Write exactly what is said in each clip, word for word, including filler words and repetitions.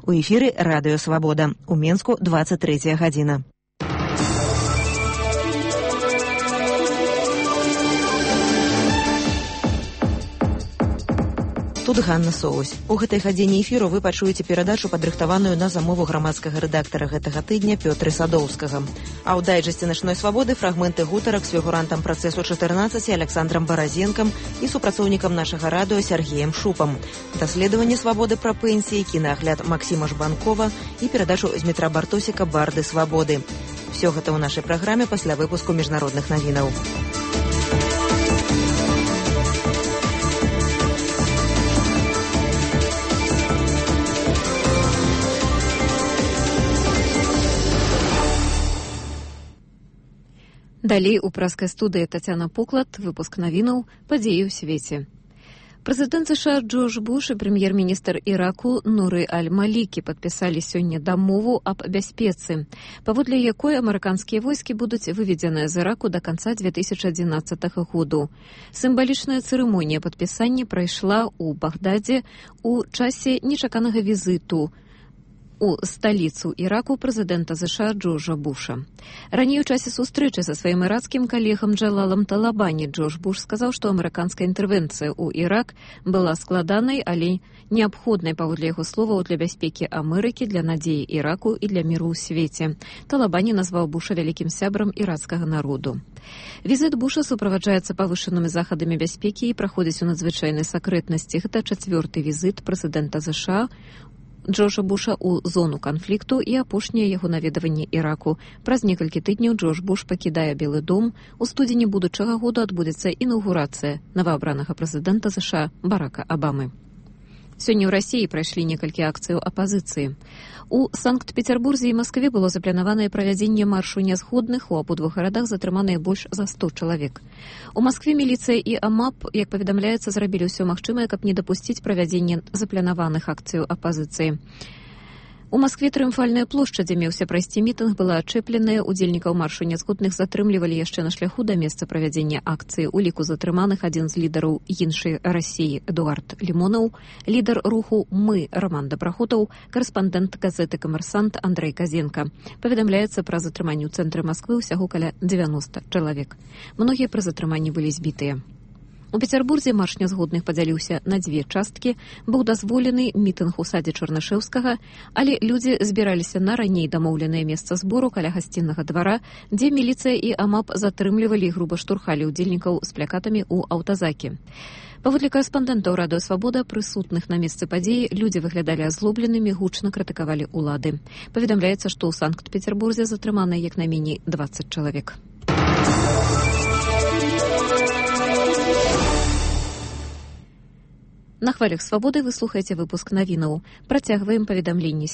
У эфіры радыё «Свабода». У Менску двадцать третья гадзіна. Тут Ганна Соусь. У гэтай гадзіне эфіру вы пачуеце перадачу, падрыхтаваную на замову грамадскага рэдактара гэтага тыдня Пётры Садоўскага. А ў дайджэсце «Начной свабоды» фрагменты гутарак з фігурантам працэсу чатырнаццаць Александром Баразенкам і супрацоўнікам нашага радыё Сергеем Шупам. Даследаванне свабоды пра пенсіі, кінаагляд Максіма Жбанкова і перадачу з Дмітра Бартосіка «Барды свабоды». Всё гэта ў нашай праграме пасля выпуску міжнародных навінаў. Далей у праскай студыі Тацяна Поклад, выпуск навінаў, падзеі ў свеце. Прэзідэнт США Джордж Буш і прэм'ер-міністр Іраку Нуры Аль-Малікі падпісалі сёння дамову аб бяспецы, паводле якой амерыканскія войскі будуць выведзеныя з Іраку да канца две тысячы адзінаццатага году. Сімвалічная цырымонія падпісання прайшла ў Багдадзе ў часе нечаканага візіту у сталіцу Іраку прэзідэнта США Джорджа Буша. Раней у часе сустрэчы са сваім іракскім калегам Джалалам Талабані Джордж Буш сказаў, што амерыканская інтэрвенцыя ў Ірак была складанай, але неабходнай, паводле яго словаў, для бяспекі Амерыкі, для надзеі Іраку і для міру ў свеце. Талабані назваў Буша вялікім сябрам іракскага народу. Візіт Буша суправаджаецца павышанымі захадамі бяспекі і праходзіць у надзвычайнай сакрэтнасці. Гэта чацвёрты візіт прэзідэнта США Джорджа Буша ў зону канфлікту і апошняе яго наведаванне Іраку. Праз некалькі тыдняў Джордж Буш пакідае Белы дом. У студзені будучага года адбудзецца інаўгурацыя новаабранага прэзідэнта США Барака Абамы. Сёння ў Расіі прайшлі некалькі акцыяў апазіцыі. У Санкт-Петербурзе і Маскве было запланаванае правядзенне маршу нязгодных, у абодвух гарадах затрыманыя больш за сто чалавек. У Маскве міліцыя і АМАП, як паведамляецца, зрабілі ўсё магчымае, каб не дапусціць правядзення запланаваных акцыяў апазіцыі. У Маскве трыумфальная плошча, дзе меўся прайсці мітынг, была ачэпленая. Удзельнікаў маршу нязгодных затрымлівалі яшчэ на шляху да месца правядзення акцыі. У ліку затрыманых адзін з лідараў іншай Расіі Эдуард Лімонаў, лідар руху «Мы» Роман Дабрахутаў, карэспандэнт газеты «Камерсант» Андрэй Казенка. Паведамляецца, пра затрыманне ў цэнтры Масквы ўсяго каля дзевяноста чалавек. Многія пры затрыманні былі збітыя. У Петербурзе марш нязгодных падзяліўся на дзве часткі. Быў дазволены мітынг у садзе Чарнышэўскага, але людзі збіраліся на раней дамоўленае месца збору каля гасціннага двара, дзе міліцыя і АМАП затрымлівалі і груба штурхалі ўдзельнікаў з плякатамі ў аўтазакі. Паводле карэспандэнтаў радыё «Свабода», прысутных на месцы падзеі, людзі выглядалі азлобленымі, гучна крытыкавалі ўлады. Паведамляецца, што ў Санкт-Петербурзе затрыманыя як найменей дваццаць чалавек. На хвалях свабоды вы слухаеце выпуск навінаў. Працягваем паведамленні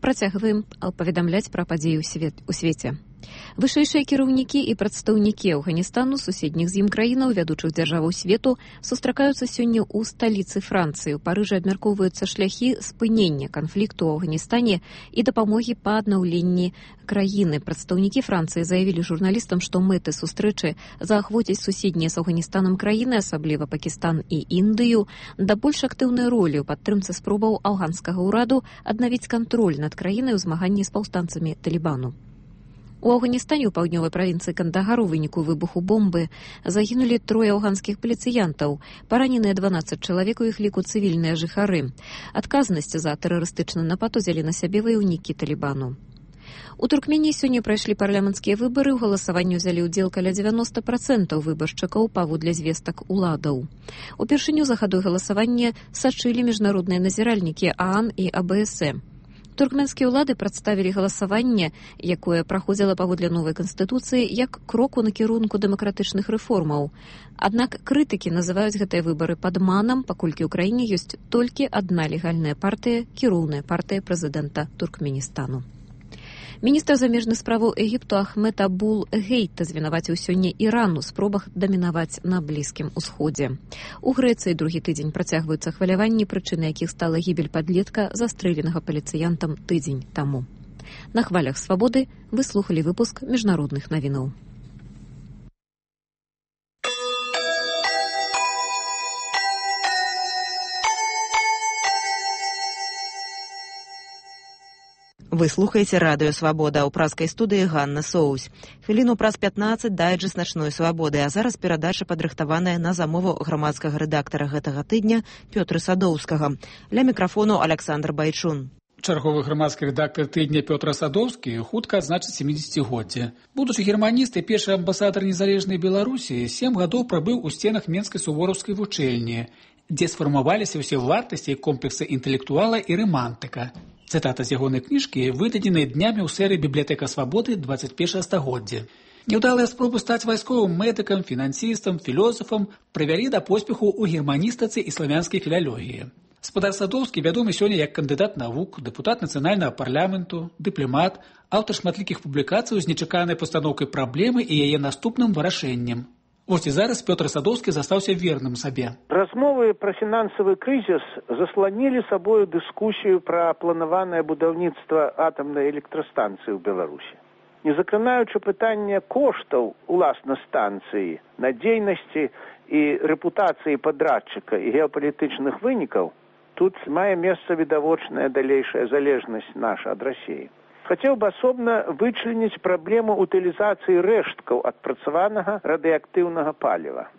працягваем паведамляць пра падзеі ў свеце. Вышэйшыя кіраўнікі і прадстаўнікі Афганістану, суседніх з ім краінаў, вядучых дзяржаваў свету сустракаюцца сёння ў сталіцы Францыі. У Парыжы абмяркоўваюцца шляхі спынення канфлікту ў Афганістане і дапамогі па аднаўленні краіны. Прадстаўнікі Францыі заявілі журналістам, што мэты сустрэчы заахвоцяць суседнія з Афганістанам краіны, асабліва Пакістан і Індыю, да больш актыўнай ролі ў падтрымцы спробаў афганскага ўраду аднавіць кантроль над краінай у змаганні з паўстанцамі Талібану. У Афганістане ў паўднёвай правінцыі Кандагар у выніку выбуху бомбы загінулі трое афганскіх паліцыянтаў. Параненыя дванаццаць чалавек, у іх ліку цывільныя жыхары. Адказнасць за тэрарыстычны напад узялі на сябе ваяўнікі Талібану. У Туркменіі сёння прайшлі парламенцкія выбары. У галасаванні ўзялі ўдзел каля дзевяноста працэнтаў выбаршчыкаў паводле звестак уладаў. Упершыню за хадой галасавання сачылі міжнародныя назіральнікі ААН і АБС. Туркменскія ўлады прадставілі галасаванне, якое праходзіла паводле новай канстытуцыі, як крок у накірунку дэмакратычных рэформаў. Аднак крытыкі называюць гэтыя выбары падманам, паколькі ў краіне ёсць толькі адна легальная партыя, кіроўная партыя прэзідэнта Туркменістану. Міністр замежных справаў Егіпту Ахмед Абул Гейт звінаваціў сёння Іран у спробах дамінаваць на Блізкім усходзе. У Грэцыі другі тыдзень працягваюцца хваляванні, прычынай якіх стала гібель падлетка, застрэленага паліцыянтам тыдзень таму. На хвалях свабоды вы слухалі выпуск міжнародных навінаў. Вы слухаеце радыё «Свабода», ў праскай студыі Ганна Соусь. Хвіліну праз пятнаццаць дайджэст начной свабоды, а зараз перадача падрыхтаваная на замову грамадскага рэдактара гэтага тыдня Пётра Садоўскага. Ля мікрафону Аляксандр Байчун. Чарговы грамадскі рэдактар тыдня Пётр Садоўскі хутка адзначыць сямідзесяцігоддзе. Будучы германіст і першы амбасадар незалежнай Беларусі, сем гадоў прабыў у сценах Менскай сувораўскай вучэльні, дзе сфармаваліся ўсе вартасці і комплексы інтэлектуала і рамантыка. Цытата з ягонай кніжкі выдадзеная днямі ў серыі «Бібліятэка свабоды двадцять першага стагоддзя». Няўдалыя спробы стаць вайсковым медыкам, фінансістам, філосафам прывялі да поспеху ў германістыцы і славянскай філалогіі. Спадар Садоўскі вядомы сёння як кандыдат навук, дэпутат нацыянальнага парламенту, дыпламат, аўтар шматлікіх публікацый з нечаканай пастаноўкай праблемы і яе наступным вырашэннем. Вось і зараз Пётр Садоўскі застаўся верным сабе. Размовы пра фінансавы крызіс засланілі сабою дыскусію пра планаванае будаўніцтва атамнай электрастанцыі ў Беларусі. Не закранаючы пытання коштаў уласна станцыі, надзейнасці і рэпутацыі падрадчыка і геапалітычных вынікаў, тут мае месца відавочная далейшая залежнасць наша ад Расіі. Хацеў бы асобна вычленіць праблему утылізацыі рэшткаў адпрацаванага радыеактыўнага паліва.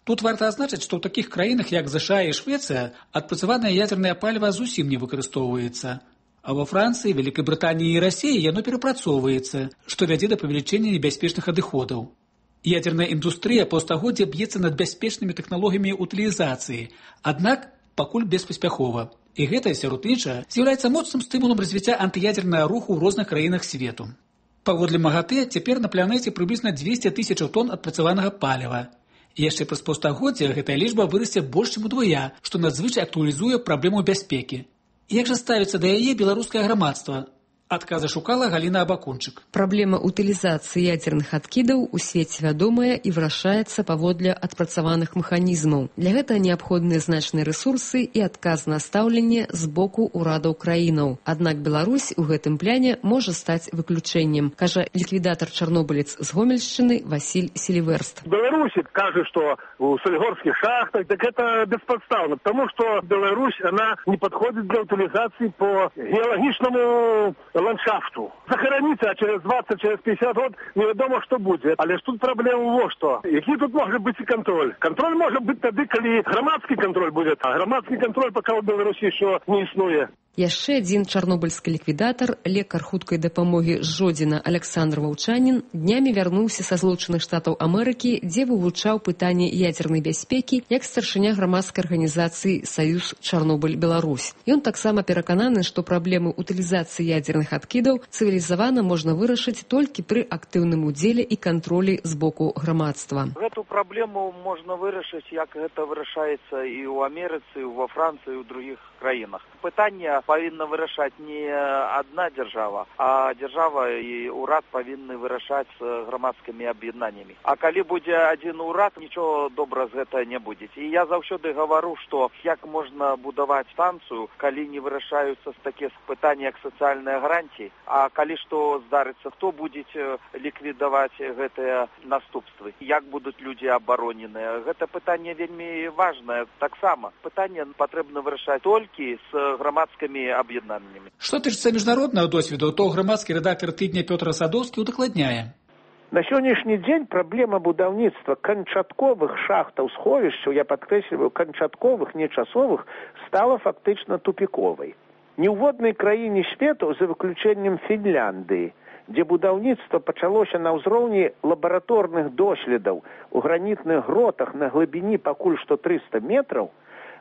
Тут варта адзначыць, што ў такіх краінах, як ЗША і Швецыя, адпрацаванае ядзернае паліва зусім не выкарыстоўваецца. А ва Францыі, Вялікай Брытаніі і Расіі яно перапрацоўваецца, што вядзе да павелічэння небяспечных адыходаў. Ядзерная індустрыя паўстагоддзя б'ецца над бяспечнымі тэхналогіямі утылізацыі, аднак пакуль беспаспяхова. І гэта, сярод іншага, з'яўляецца моцным стымулам развіцця антыядзернага руху ў розных краінах свету. Паводле МАГАТЭ, цяпер на планеце прыблізна дзвесце тысячаў тонн адпрацаванага паліва. І яшчэ праз паўстагоддзя гэтая лічба вырасце больш чым удвая, што надзвычай актуалізуе праблему бяспекі. Як жа ставіцца да яе беларускае грамадства? Адказа шукала Галіна Абакунчык. Праблема утылізацыі ядзерных адкідаў у свеце вядомая і вырашаецца паводле адпрацаваных механізмаў. Для гэтага неабходныя значныя рэсурсы і адказнае стаўленне з боку ўрадаў краінаў. Аднак Беларусь у гэтым пляне можа стаць выключэннем, кажа ліквідатар чарнобылец з Гомельшчыны Васіль Селіверст. Беларусь кажа, што у Сольгорскіх шахтах, так это бесподставно, потому что Беларусь, она не подходит для утилизации по геологичному ландшафту. Захорониться, а через двадцать, через пятьдесят год неведомо, что будет. Але ж тут проблема во что. Який тут може бути контроль? Контроль може бути тоді, коли громадський контроль буде. А громадський контроль поки в Білорусі ще не існує. Яшчэ адзін чарнобыльскі ліквідатар, лекар хуткай дапамогі з Жодзіна Аляксандр Ваўчанін днямі вярнуўся са Злучаных Штатаў Амерыкі, дзе вывучаў пытанне ядзернай бяспекі як старшыня грамадскай арганізацыі «Саюз Чарнобыль-Беларусь». Ён таксама перакананы, што праблемы утылізацыі ядзерных адкідаў цывілізавана можна вырашыць толькі пры актыўным удзеле і кантролі з боку грамадства. Гэту праблему можна вырашыць, як гэта вырашаецца і ў Амерыцы, і ва Францыі, і ў другіх краінах. Пытанне павінна вырашаць не адна дзяржава, а дзяржава і ўрад павінны вырашаць з грамадскімі аб'яднаннямі. А калі будзе адзін урад, нічого добра з гэта не будзе. І я заўсёды гавару, што як можна будаваць станцыю, калі не вырашаюцца такія пытанні, як сацыяльныя гарантіі, а калі што здарыцца, хто будзе ліквідаваць гэтыя наступствы, як будуць людзі абароненыя. Гэта пытанне вельмі важнае. Таксама пытанне патрэбна вырашаць толькі з грамадскімі аб'яднаннямі. Што тычыцца міжнароднага досведу, то грамадскі рэдактар тыдня Пётр Садоўскі удакладняе. На сённяшні дзень праблема будаўніцтва канчатковых шахтаў сховішчаў, я падкрэсліваю, канчатковых, не часовых, стала фактычна тупіковай. Ні ў воднай краіне свету, за выключэннем Фінляндыі, дзе будаўніцтва пачалося на ўзроўні лабараторных доследаў у гранітных гротах на глыбіні пакуль што трыста метраў,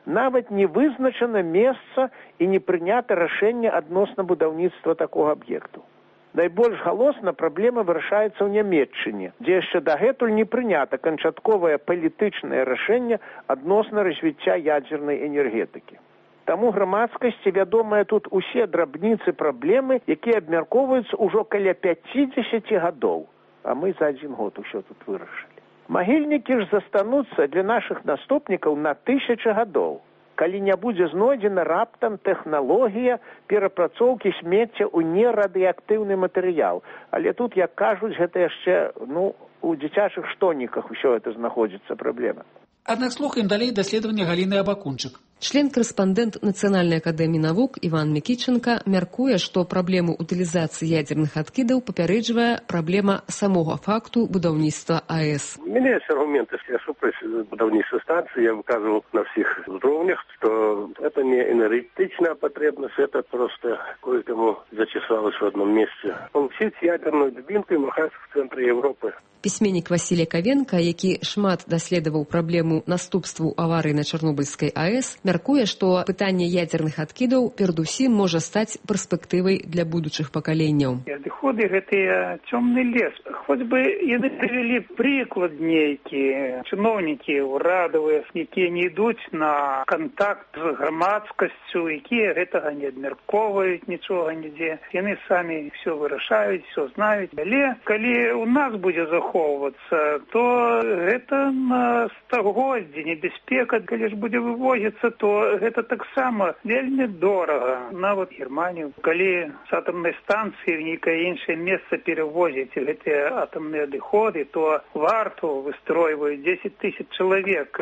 нават не вызначана месца і не прынята рашэнне адносна будаўніцтва такога аб'екту. Найбольш галосна праблема вырашаецца ў Нямецчыне, дзе яшчэ дагэтуль не прынята канчатковае палітычнае рашэнне адносна развіцця ядзернай энергетыкі. Таму грамадскасці вядомыя тут усе драбніцы праблемы, якія абмяркоўваюцца ўжо каля пяцідзесяці гадоў, а мы за адзін год усё тут вырашылі. Магільнікі ж застануцца для нашых наступнікаў на тысячы гадоў, калі не будзе знойдзена раптам тэхналогія перапрацоўкі смецця ў нерадыеактыўны матэрыял. Але тут, як кажуць, гэта яшчэ, ну, у дзіцячых штоніках усё гэта знаходзіцца праблема. Аднак слухаем далей даследавання Галіны Абакунчык. Член-карэспандэнт Нацыянальнай акадэміі навук Іван Мікіченка мяркуе, што праблему утылізацыі ядзерных адкідаў папярэджвае праблема самога факту будаўніцтва АЭС. У меня есть аргументы, что я супраць будаўніцтва станции. Я выказывал на всех уровнях, что это не энергетичная потребность, это просто кое-кому зачесалось в одном месте. Получить ядерную дубинку и махать в центре Европы. Пісьменнік Васілій Кавенка, які шмат даследаваў праблему наступстваў аварыі на Чарнобыльскай АЭС, мяркуе, што пытанне ядзерных адкідаў перадусім можа стаць перспектывай для будучых пакаленняў. Адыходы гэтыя цёмны лес. Хоць бы яны прывялі прыклад нейкі, чыноўнікі ўрадавыя, якія не ідуць на кантакт з грамадскасцю, якія гэтага не абмяркоўваюць нічога нідзе. Яны самі ўсё вырашаюць, ўсё знаюць. Але калі у нас будзе захоп то гэта на стагоддзі небяспека, калі ж будзе вывозіцца, то гэта таксама вельмі дорага. Нават Германію, калі з атамнай станцыі в нейкае іншае месца перавозіць гэтыя атамныя адыходы, то варту выстройваюць дзесяць тысяч чалавек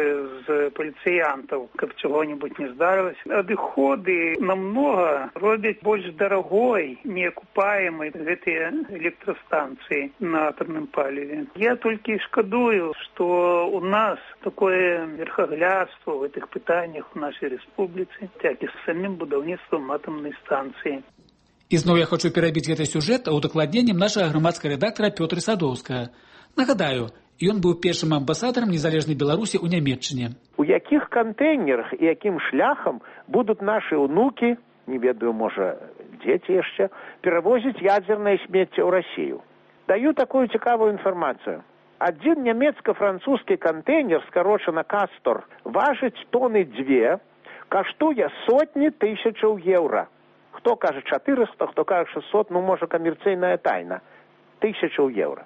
з паліцыянтаў, каб чаго-небудзь не здарылася. Адыходы намнога робяць больш дарагой, неакупаемай гэтыя электрастанцыі на атамным паліве. Я толькі шкадую, што у нас такое верхаглядство в гэтых пытаннях у нашай рэспубліцы, так і з самім будаўніцтвам атамнай станцыі. Ізноў я хочу перабіць гэты сюжэт удакладненнем нашага грамадскага рэдактара Пётра Садоўскага. Нагадаю, ён быў першым амбасадарам незалежнай Беларусі ў Нямецчыне. У якіх кантэйнерах і якім шляхам будуць нашы ўнукі, не ведаю, можа, дзеці яшчэ, перавозіць ядзернае смецце ў Расію? Даю такую цікавую інфармацыю. Адзін нямецка-французскі кантэйнер, скарочана «Кастор», важыць тоны дзве, каштуе сотні тысячаў еўра. Хто кажа чатырыста, хто кажа шэсцьсот, ну, можа, камерцыйная тайна. Тысячаў еўра.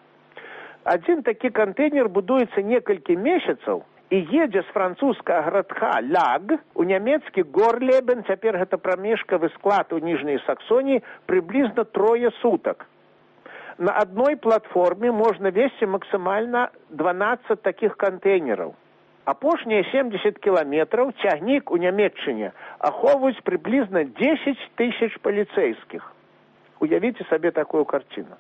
Адзін такі кантэйнер будуецца некалькі месяцаў і едзе з французскага гарадка Ляг у нямецкі Горлебен, цяпер гэта прамежкавы склад у Ніжняй Саксоніі, прыблізна трое сутак. На одной платформе можно везти максимально дванадцать таких контейнеров. Апошнія семьдесят километров цягнік у Нямецчыне ахоўваюць приблизно десять тысяч полицейских. Уявіце сабе такую картину.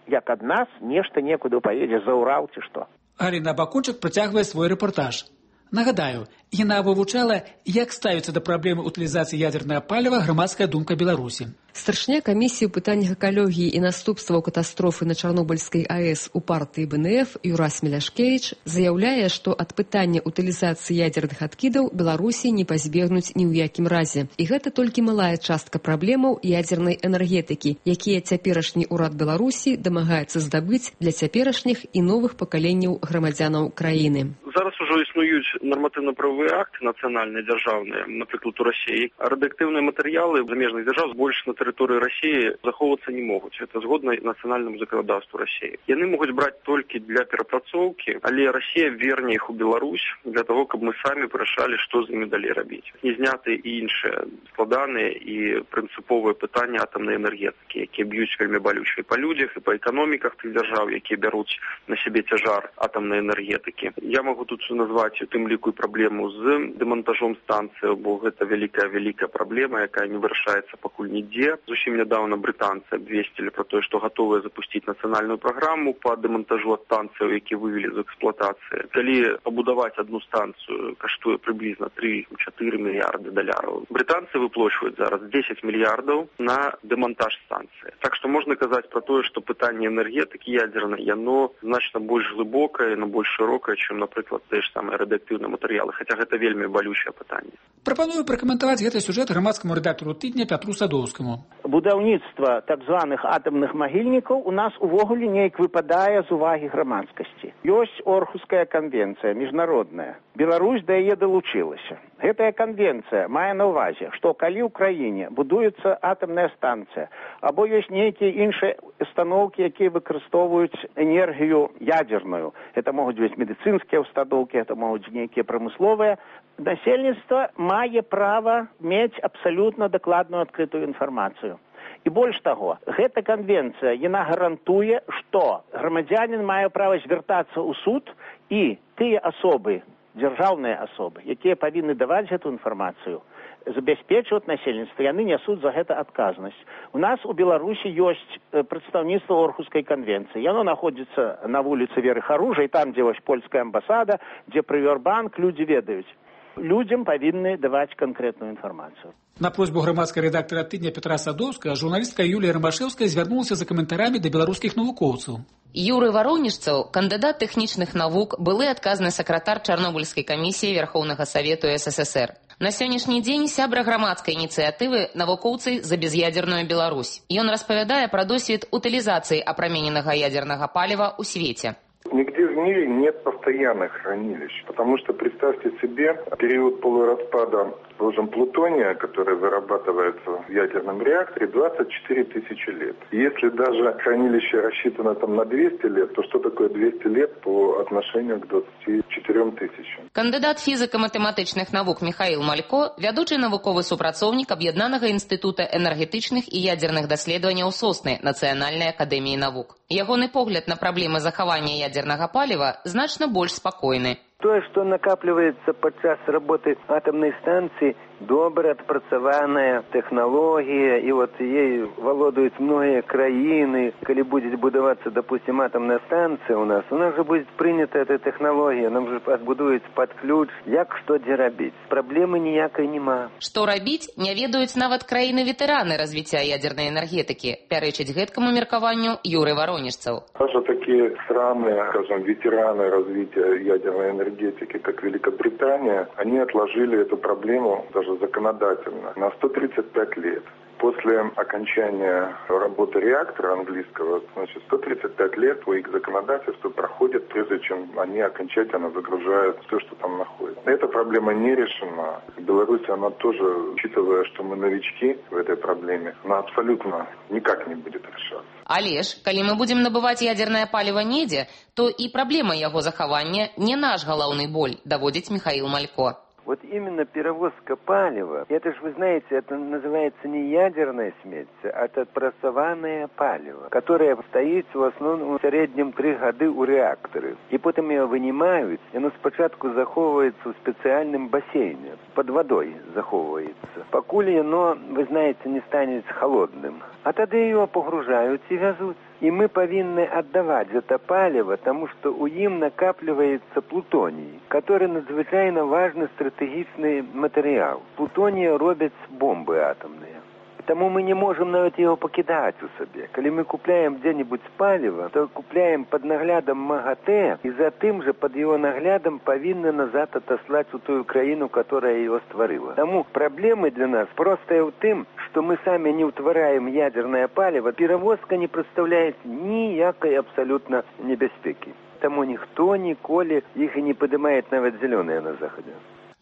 Як ад нас нешта некуды поедзе за Урал ці што. Галіна Бакунчык працягвае свой рэпартаж. Нагадаю, яна вывучала, як ставіцца да праблемы утылізацыі ядзернага паліва грамадская думка Беларусі. Старшыня камісіі ў пытаннях экалогіі і наступстваў катастрофы на Чарнобыльскай АЭС у партыі БНФ Юрась Меляшкевіч заяўляе, што ад пытання утылізацыі ядзерных адкідаў Беларусі не пазбегнуць ні ў якім разе. І гэта толькі малая частка праблемаў ядзернай энергетыкі, якія цяперашні ўрад Беларусі дамагаецца здабыць для цяперашніх і новых пакаленняў грамадзянаў краіны. Зараз ужо існуюць нарматыўна-правовыя акты нацыянальныя, дзяржаўныя, напрыклад, у Расіі. Радыактыўныя матэрыялы замежных дзяржаў больш на тэрыторыі Расіі захоўвацца не могуць. Это згодна нацыянальнаму заканадаўству Расіі. Яны могуць браць толькі для перапрацоўкі, але Расія верне іх у Беларусь для того, каб мы самі вырашалі, што з імі далей рабіць. Не зняты і іншыя складаныя і прынцыповыя пытанні атамнай энергетыкі, якія б'юць вельмі балюча і па людзях, і па эканоміках тых дзяржаў, якія бяруць на сябе цяжар атамнай энергетыкі. Я магу тут назваць у тым ліку і праблему з дэмантажом станцыі, бо гэта вялікая-вялікая праблема, якая не вырашаецца пакуль нідзе. Зусім нядаўна брытанцы абвесцілі пра тое, што гатовыя запусціць нацыянальную праграму па дэмантажу ад станцыяў, якія вывелі з эксплуатацыі. Калі пабудаваць адну станцыю каштуе прыблізна тры-чатыры мільярды даляраў. Брытанцы выплачваюць зараз дзесяць мільярдаў на дэмантаж станцыі. Так што можна казаць пра тое, што пытанне энергетыкі ядзернай, яно значна больш глыбокае, яно больш шырокае, чым, напрыклад, тыя ж самыя радыактыўныя матэрыялы, хаця гэта вельмі балючае пытанне. Прапаную пракаментаваць гэты сюжэт грамадскаму рэдактару тыдня Пятру Садоўскаму. Будаўніцтва так званых атамных магільнікаў у нас увогуле неяк выпадае з увагі грамадскасці. Ёсць Орхуская канвенцыя міжнародная. Беларусь да яе далучылася. Гэтая канвенцыя мае на ўвазе, што калі ў краіне будуецца атамная станцыя, або ёсць нейкія іншыя установкі, якія выкарыстоўваюць энергію ядзерную. Это могуць быць медыцынскія установкі, это могуць нейкія прамысловыя. Насельніцтва мае права мець абсалютна дакладную адкрытую інфармацыю. І больш таго, гэта канвенцыя, яна гарантуе, што грамадзянин мае права звяртацца ў суд, і тыя асобы, дзяржаўныя асобы, якія павінны даваць гэту інфармацыю, забяспечваць насельніцтва, яны нясуць за гэта адказнасць. У нас у Беларусі ёсць прадстаўніцтва Орхускай канвенцыі. Яно находзіцца на вуліцы Веры Харужай, там, дзе вось польская амбасада, дзе Прывербанк, людзі ведаюць. Людзям павінны даваць канкрэтную інфармацыю. На просьбу грамадскага рэдактара тыдня Петра Садоўскага журналістка Юлія Рамашэўская звярнулася за каментарамі да беларускіх навукоўцаў. Юрый Варонежцаў, кандыдат тэхнічных навук, былы адказны сакратар Чарнобыльскай камісіі Верхоўнага Савету СССР. На сённяшні дзень сябра грамадскай ініцыятывы навукоўцы за без'ядерную Беларусь. Ён распавядае пра досвед утылізацыі апрамененага ядернага паліва ў свеце. Нигде в мире нет постоянных хранилищ, потому что представьте себе период полураспада, скажем, плутония, который вырабатывается в ядерном реакторе, двадцать четыре тысячи лет. Если даже хранилище рассчитано там на двести лет, то что такое двести лет по отношению к двадцати четырем тысячам? Кандыдат фізіка-матэматычных навук Михаил Малько, вядучы навуковы супрацоўнік Аб'яднанага інстытута энергетычных і ядерных даследаванняў Сосны Нацыянальнай акадэміі навук. Ягоны погляд на праблемы захавання ядернага паліва значна больш спакойны. То, что накапливается подчас работы атомной станции, добре отпрацаваная технология, и вот ей владеют многие краины. Коли будет будоваться, допустим, атомная станция у нас, у нас же будет принята эта технология, нам же отбудуется под ключ, як что где робить. Проблемы ніякой нема. Што рабіць, не ведаюць нават краіны-ветэраны развіцця ядернай энергетыкі, пярэчыць гэткаму меркаванню Юрый Варонежцаў. Даже такие страны, скажем, ветераны развития ядерной энергетики, как Великобритания, они отложили эту проблему даже законодательно на сто тридцать пять лет. После окончания работы реактора английского, значит, сто тридцать пять лет по их законодательству проходит, прежде чем они окончательно загружают все, что там находится. Эта проблема не решена. В Беларуси она тоже, учитывая, что мы новички в этой проблеме, она абсолютно никак не будет решаться. Але ж, калі мы будзем набываць ядернае паліва недзе, то і праблема яго захавання не наш галаўны боль, даводзіць Михаил Малько. Вот именно перевозка палива, это же, вы знаете, это называется не ядерная смесь, а это отпрацаванное паліва, которое стоит в основном в среднем три года у реактора. И потом его вынимают, и оно спочатку заховывается в специальном бассейне, под водой заховывается. Покуль оно, вы знаете, не станет холодным. А тогда его погружают и везут. И мы повинны отдавать это палево, потому что у им накапливается плутоний, который надзвычайно важный стратегичный материал. Плутония робят бомбы атомные. Тому мы не можем навіть его покидать у себе. Коли мы купляем где-нибудь палево, то купляем под наглядом МАГАТЭ, и за тем же под его наглядом повинны назад отослать в ту Украину, которая его створила. Тому проблемы для нас просто в том, что мы сами не утвораем ядерное палево, перевозка не представляет ніякой абсолютно небезпеки. Тому ніхто ніколи їх і не піднімає навіть зелені на Заході.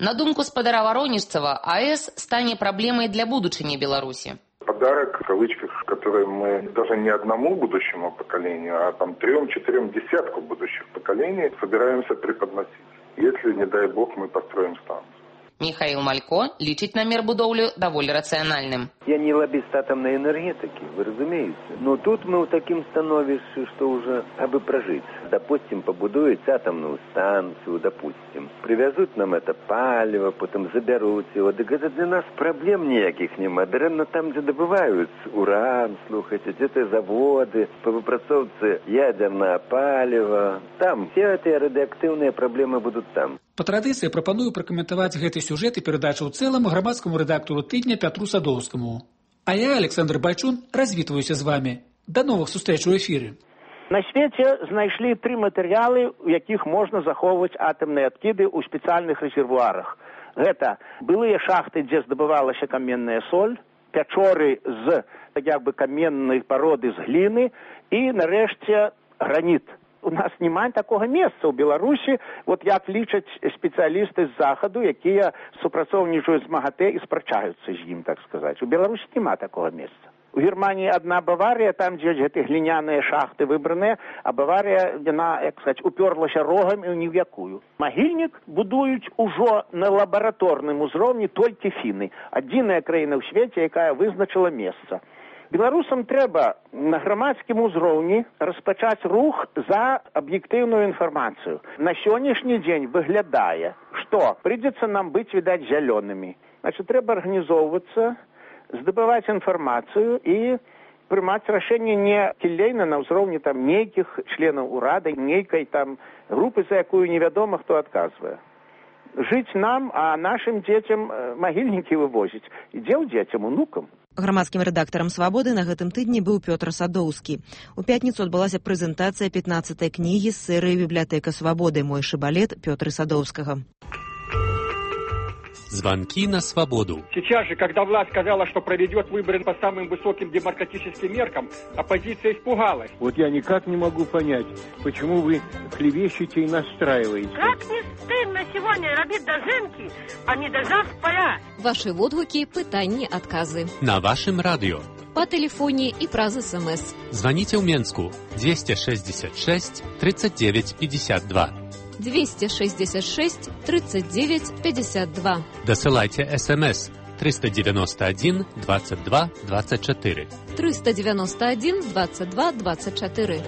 На думку спадара Варонежцева, АЭС стане проблемой для будучыні Беларуси. Подарок, в кавычках, который мы даже не одному будущему поколению, а там трем-четырем десятку будущих поколений собираемся преподносить. Если, не дай бог, мы построим станцию. Михаил Малько лічыць намер будоўлю даволі рацыянальным. Я не лоббист атомной энергетики, вы разумеете. Но тут мы в таким становишься, что уже абы прожить. Допустим, побудуют атомную станцию, допустим. Привезут нам это палево, потом заберут его. Так это для нас проблем никаких нема. Даремно там, где добывают уран, слухайте, где-то заводы, по выпрацовке ядерное палево. Там все эти радиоактивные проблемы будут там. Па традыцыі прапаную пракаментаваць гэты сюжэт і перадачу ў цэлым грамадскаму рэдактару тыдня Пятру Садоўскаму. А я, Александр Байчун, развітваюся з вамі. Да новых сустрэч у эфіры. На свеце знайшлі тры матэрыялы, у якіх можна захоўваць атамныя адкіды ў спецыяльных рэзервуарах. Гэта былыя шахты, дзе здабывалася каменная соль, пячоры з як бы каменнай пароды з гліны і, нарэшце, граніт. У нас няма такога месца ў Беларусі, вот як лічаць спецыялісты з захаду, якія супрацоўнічаюць з МАГАТЭ і спрачаюцца з ім, так сказаць. У Беларусі няма такога месца. У Германії одна Баварія, там, дзе гэты гліняныя шахты выбраныя, а Баварія, яна, як сказаць, уперлася рогам і ні в якую. Магільнік будуюць ужо на лабараторным узроўні толькі фіны. Адзіная краіна ў свеце, якая вызначыла месца. Беларусам трэба на грамадскім узроўні распачаць рух за аб'ектыўную інфармацыю. На сённяшні дзень выглядае, што прыйдзецца нам быць, відаць, зялёнымі. Значит, трэба арганізоўвацца, здабываць інфармацыю і прымаць рашэнне не кілейна на ўзроўні там нейкіх членаў урада, нейкай там групы, за якую невядома, хто адказвае. Жыць нам, а нашым дзецям магільнікі вывозіць. І дзе ў дзецям, унукам? Грамадскім рэдактарам «Свабоды» на гэтым тыдні быў Пётр Садоўскі. У пятніцу адбылася прэзентацыя пятнаццатай кнігі з серыі «Бібліятэка свабоды. Мой шыбалет» Пётра Садоўскага. Звонки на свободу. Сейчас же, когда власть сказала, что проведет выборы по самым высоким демократическим меркам, оппозиция испугалась. Вот я никак не могу понять, почему вы клевещете и настраиваете. Как не стыдно сегодня робить дожинки, а не дожав поля. Ваши отгуки, пытания, отказы. На вашем радио. По телефоне и праз СМС. Звоните в Менску двести шестьдесят шесть тридцать девять пятьдесят два. двести шестьдесят шесть тридцать девять пятьдесят два. Досылайте СМС триста девяносто один двадцать два двадцать четыре. триста девяносто один двадцать два двадцать четыре.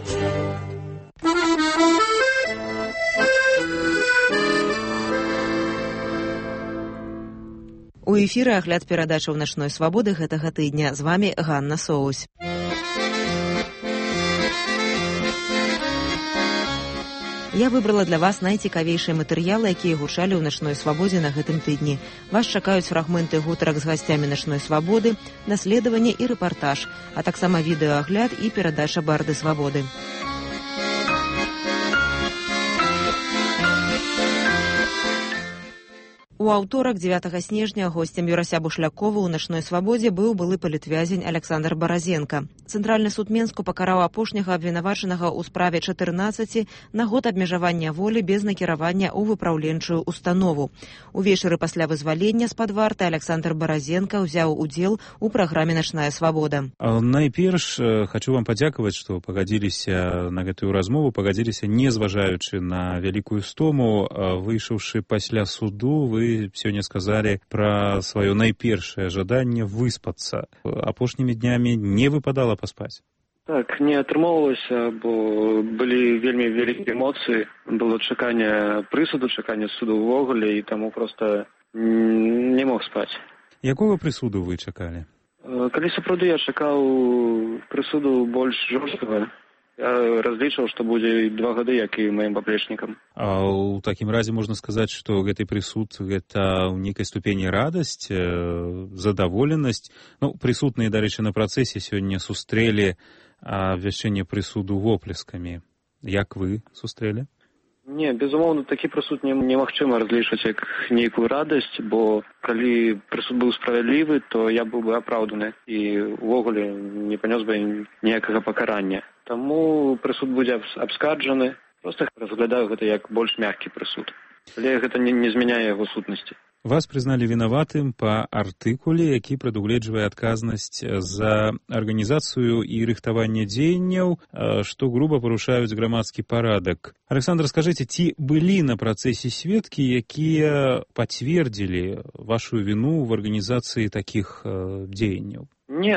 У эфіры агляд перадачаў «Начной свабоды» гэтага тыдня. З вами Ганна Соусь. Я выбрала для вас найцікавейшыя матэрыялы, якія гучалі ў «Начной свабодзе» на гэтым тыдні. Вас чакаюць фрагменты гутарак з гасцямі «Начной свабоды», даследаванне і рэпартаж, а таксама відэаагляд і перадача «Барды свабоды». У аўторак дзевятага снежня госцем Юрася Бушлякова ў «Начной свабодзе» быў былы палітвязень Александр Баразенко. Цэнтральны суд Менску пакараў апошняга абвінавачанага ў справе чатырнаццаці на год абмежавання волі без накіравання ў выпраўленчую установу. Увечары пасля вызвалення з-пад варты Александр Баразенко ўзяў удзел у праграме «Начная свабода». Найперш хочу вам падзякаваць, што пагадзіліся на гэтую размову, пагадзіліся не зважаючы на вялікую стому. Выйшаўшы пасля суду, вы сёння сказалі пра сваё найпершае жаданне выспацца. Апошнімі днямі не выпадала паспаць? Так, не атрымоўвалася, бо былі вельмі вялікія эмоцыі. Было чаканне прысуду, чаканне суду ўвогуле, і таму проста не мог спаць. Якога прысуду вы чакалі? Калі сапраўды я чакаў прысуду больш жорсткага, я разлічваў, што будзе два гады, як і маім паплечнікам. А ў такім разе можна сказаць, што гэты прысуд гэта ў нейкай ступені радасць, задаволенасць. Ну, прысутныя, дарэчы, на працэсе сёння сустрэлі абвяшчэнне прысуду воплескамі. Як вы сустрэлі? Не, безумоўна, такі прысуд немагчыма разлічваць як нейкую радасць, бо калі прысуд быў справядлівы, то я быў бы апраўданы і ўвогуле не панёс бы ніякага пакарання. Таму прысуд будзе абскарджаны, проста разглядаю гэта як больш мяккі прысуд. Але гэта не, не змяняе яго сутнасці. Вас прызналі вінаватым па артыкуле, які прадугледжвае адказнасць за арганізацыю і рыхтаванне дзеянняў, што груба парушаюць грамадскі парадак. Александр, скажыце, ці былі на працэсе сведкі, якія пацвердзілі вашу віну в арганізацыі такіх дзеянняў? Не,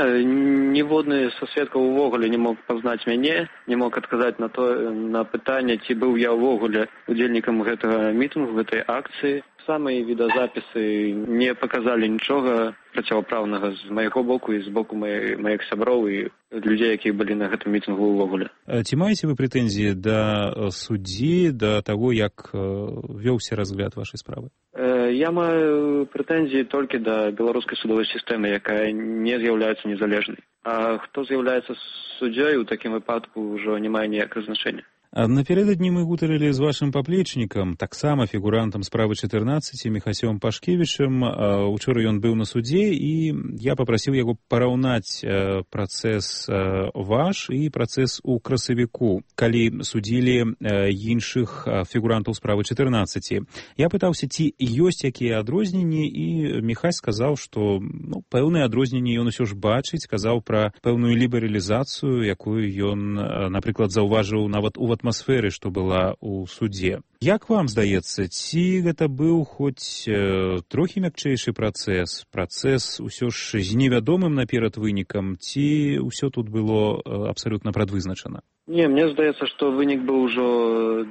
ніводны са сведкаў увогуле не мог пазнаць мяне, не мог адказаць на то, на пытанне, ці быў я ўвогуле удзельнікам гэтага мітынгу, гэтай акцыі. Самыя відэазапісы не паказалі нічога процівправнага з майго боку і з боку маіх сяброў і людзей, якія былі на гэтым мітынгу ўвогуле. Ці маеце вы прэтэнзіі да суддзі, да таго, як вёўся разгляд вашай справы? Я маю прэтэнзіі толькі да беларускай судовай сістэмы, якая не з'яўляецца незалежнай. А хто з'яўляецца суддзёй, у такім выпадку ўжо не мае ніякага значэння. Напярэдадні мы гутарылі з вашым паплечнікам, таксама фігурантам справы чатырнаццаці Міхасём Пашкевічам. Учора ён быў на судзе, і я папрасіў яго параўнаць працэс ваш і працэс у красавіку, калі судзілі іншых фігурантаў справы чатырнаццаці. Я пытаўся, ці ёсць якія адрозненні, і Міхай сказаў, што ну, пэўныя адрозненні ён усё ж бачыць, казаў пра пэўную лібералізацыю, якую ён, напрыклад, заўважыў нават у атмасферы, што была ў судзе. Як вам здаецца, ці гэта быў хоць э, трохі мякчэйшы працэс, працэс усё ж з невядомым наперад вынікам, ці ўсё тут было э, абсалютна прадвызначана? Не, мне здаецца, што вынік быў ужо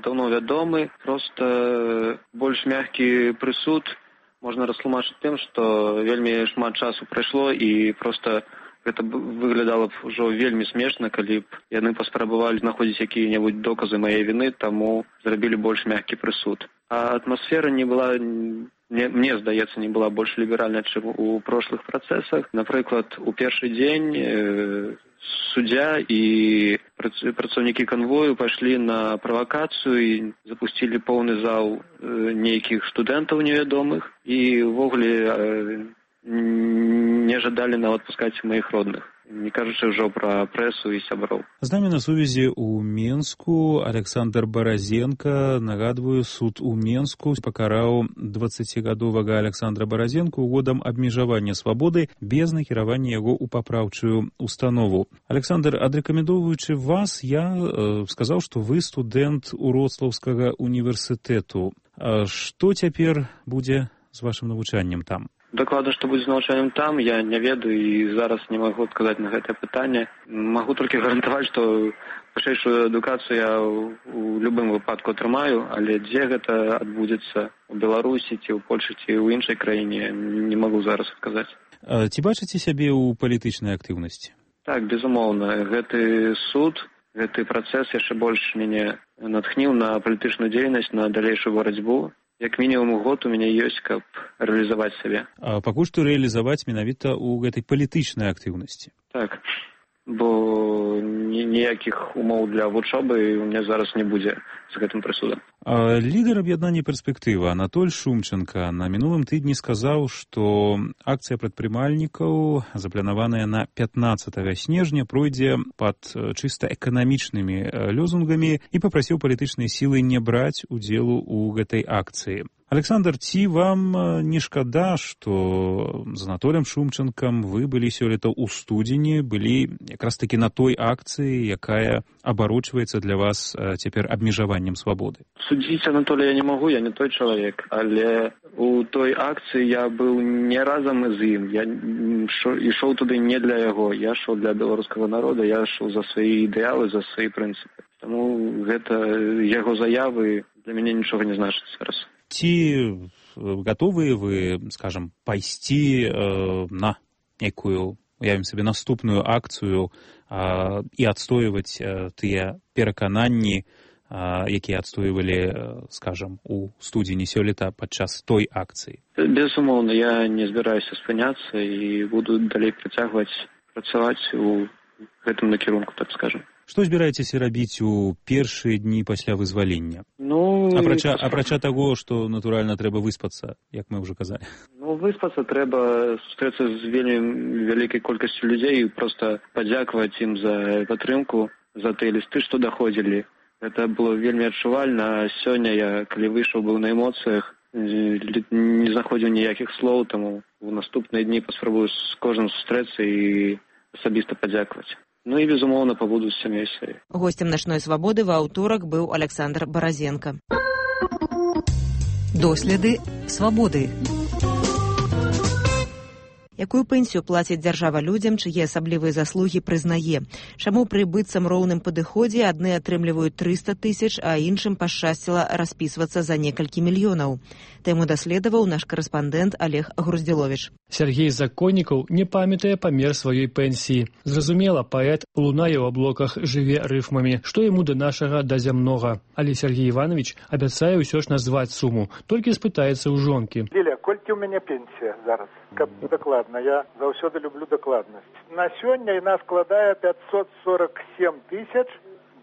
даўно вядомы, проста больш мяккі прысуд можна растлумачыць тым, што вельмі шмат часу прайшло і проста гэта выглядала б ужо вельмі смешна, калі б яны паспрабавалі знаходзіць якія-небудзь доказы маёй віны, таму зрабілі больш мяккі прысуд. А атмасфера не была, мне, мне здаецца, не была больш ліберальная, чым у прошлых працэсах. Напрыклад, у першы дзень э, суддзя і працаўнікі канвою пайшлі на правакацыю і запусцілі поўны зал э, нейкіх студэнтаў невядомых і ўвогуле э, не жадалі нават пускаць маіх родных, не кажучы ўжо пра прэсу і сяброў. З намі на сувязі ў Менску Александр Баразенко. Нагадваю, суд у Менску пакараў дваццацігадовага Александра Баразенко годам абмежавання свабоды без накіравання яго ў папраўчую установу. Александр, адрэкамендоўваючы вас, я э, сказаў, што вы студэнт Уроцлаўскага універсітэту. А што цяпер будзе з вашым навучаннем там? Дакладна, што будзе з навучаннем там, я не ведаю і зараз не магу адказаць на гэтае пытанне. Магу толькі гарантаваць, што вышэйшую адукацыю я ў любым выпадку атрымаю, але дзе гэта адбудзецца, у Беларусі ці ў Польшы ці ў іншай краіне, не магу зараз адказаць. А ці бачыце сябе ў палітычнай актыўнасці? Так, безумоўна. Гэты суд, гэты працэс яшчэ больш мяне натхніў на палітычную дзейнасць, на далейшую барацьбу. Як мінімум год у мяне ёсць, каб рэалізаваць сябе. А пакуль што рэалізаваць менавіта ў гэтай палітычнай актыўнасці. Так, бо ніякіх умоў для вучобы у мяне зараз не будзе з гэтым прысудам. А лідар аб'яднання «Перспектыва» Анатоль Шумченко на мінулым тыдні сказаў, што акцыя прадпрымальнікаў, запланаваная на пятнаццатага снежня, пройдзе пад чыста эканамічнымі лёзунгамі і папрасіў палітычныя сілы не браць удзелу ў гэтай акцыі. Александр, ці вам не шкада, што з Анатолем Шумченкам вы былі сёлета ў студзені, былі якраз такі на той акцыі, якая абарочваецца для вас цяпер абмежаваннем свабоды? Судзіць Анатолія я не магу, я не той чалавек, але у той акцыі я быў не разам з ім. Я ішоў туды не для яго, я ішоў для беларускага народа, я ішоў за свае ідэалы, за свае прынцыпы. Таму гэта яго заявы для мяне нічога не значыць зараз. Ці гатовыя вы, скажам, пайсці э, на некую, уявім сабе, наступную акцыю э, і адстойваць э, тыя перакананні, э, якія адстойвалі, э, скажам, у студзені сёлета падчас той акцыі? Безумоўна, я не збіраюся спыняцца і буду далей працягваць працаваць у гэтым накірунку, так скажам. Што збіраецеся рабіць у першыя дні пасля вызвалення? Ну, апрача, апрача таго, што, натуральна, трэба выспацца, як мы ўжо казалі. Ну, выспацца трэба, сустрэцца з вельмі вялікай колькасцю людзей і проста падзякаваць ім за падтрымку, за тыя лісты, што даходзілі. Гэта было вельмі адчувальна, а сёння я, калі выйшаў, быў на эмоцыях, не знаходзіў ніякіх слоў, таму у наступныя дні паспрабую з кожным сустрэцца і асабіста падзякаваць. Ну і, безумоўна, пабуду з сям'ёй сваёй. Госцем «Начной свабоды» ва аўторак быў Александр Баразенко. Доследы свабоды. Якую пенсію плаціць дзяржава людзям, чые асаблівыя заслугі прызнае? Чаму пры быццам роўным падыходзе адны атрымліваюць трыста тысяч, а іншым пашчасціла распісвацца за некалькі мільёнаў? Тэму даследаваў наш карэспандэнт Олег Груздзіловіч. Сергей Законнікаў не памятае памер сваёй пенсіі. Зразумела, паэт лунае ў аблоках, жыве рыфмамі, што яму да нашага да зямнога. Але Сергей Іванович абяцае ўсё ж назваць суму, толькі спытаецца ў жонкі. Ліля, колькі ў мяне пенсія зараз? Каб дакладна, я заўсёды люблю дакладнасць. На сёння яна складае пятьсот сорок семь тысяч